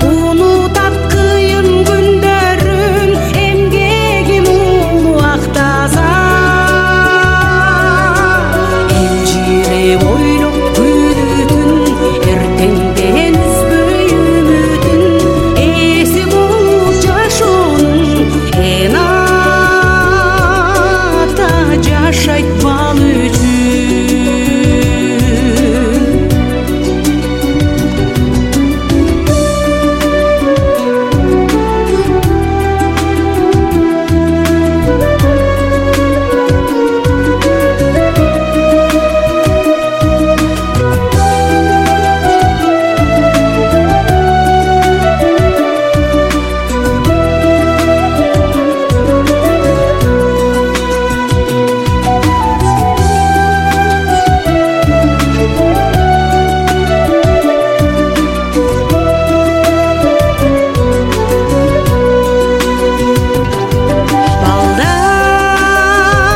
унутат кыйын күндөрүн, эмгегин улуу актаса. Элжиреп ойлоп күнүтүн, эртеңден үзбөй үмүтүн, эси болуп жашоонун эн ата жашайт бал үчүн.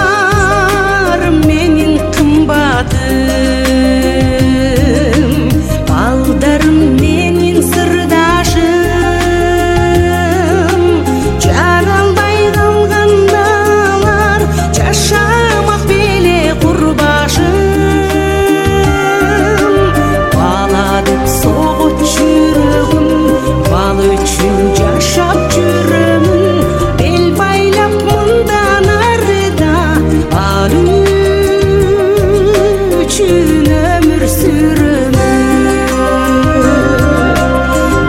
Балдарым менин кымбатым, балдарым менин сырдашым, жаралбай калгандалар жашамак беле курбашым. Бала деп согот жүрөгүм, бал үчүн жашап жүрөмүн, бел байлап мындан арыда бал үчүн өмүр сүрөмүн.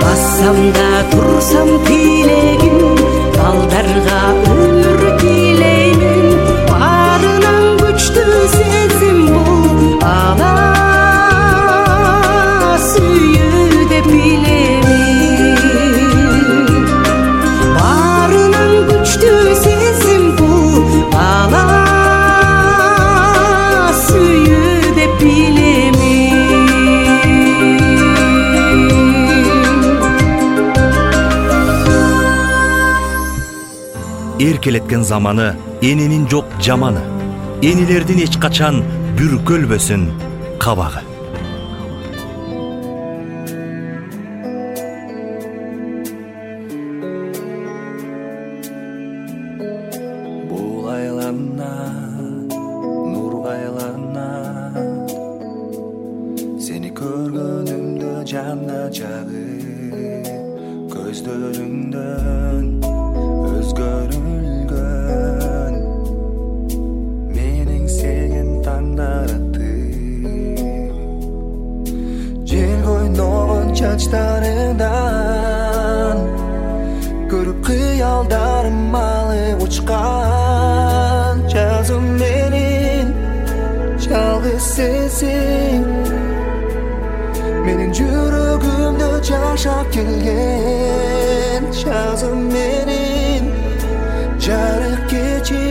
Бассам да турсам тилегим, балдарга өмүр тилеймин. Баарынан күчтүү сезим бул бала сүйүү деп билемин. Баарынан күчтүү сезим бул бала сүйүү деп билемин. Эркелеткен заманы эненин жок жаманы, энелердин эч качан бүркөлбөсүн кабагы. Бул айланат, нурга айланат, сени көргөнүмдө жанда жагып, көздөрүңдөн өзгөрүлгөн менин сен таңдар атты. Жел койногон чачтарыңдан көрүп кыялдарым алып учкан. Жазым менин жалгыз сенсиң, менин жүрөгүмдө жашап келген. Жазым менин жарык кечи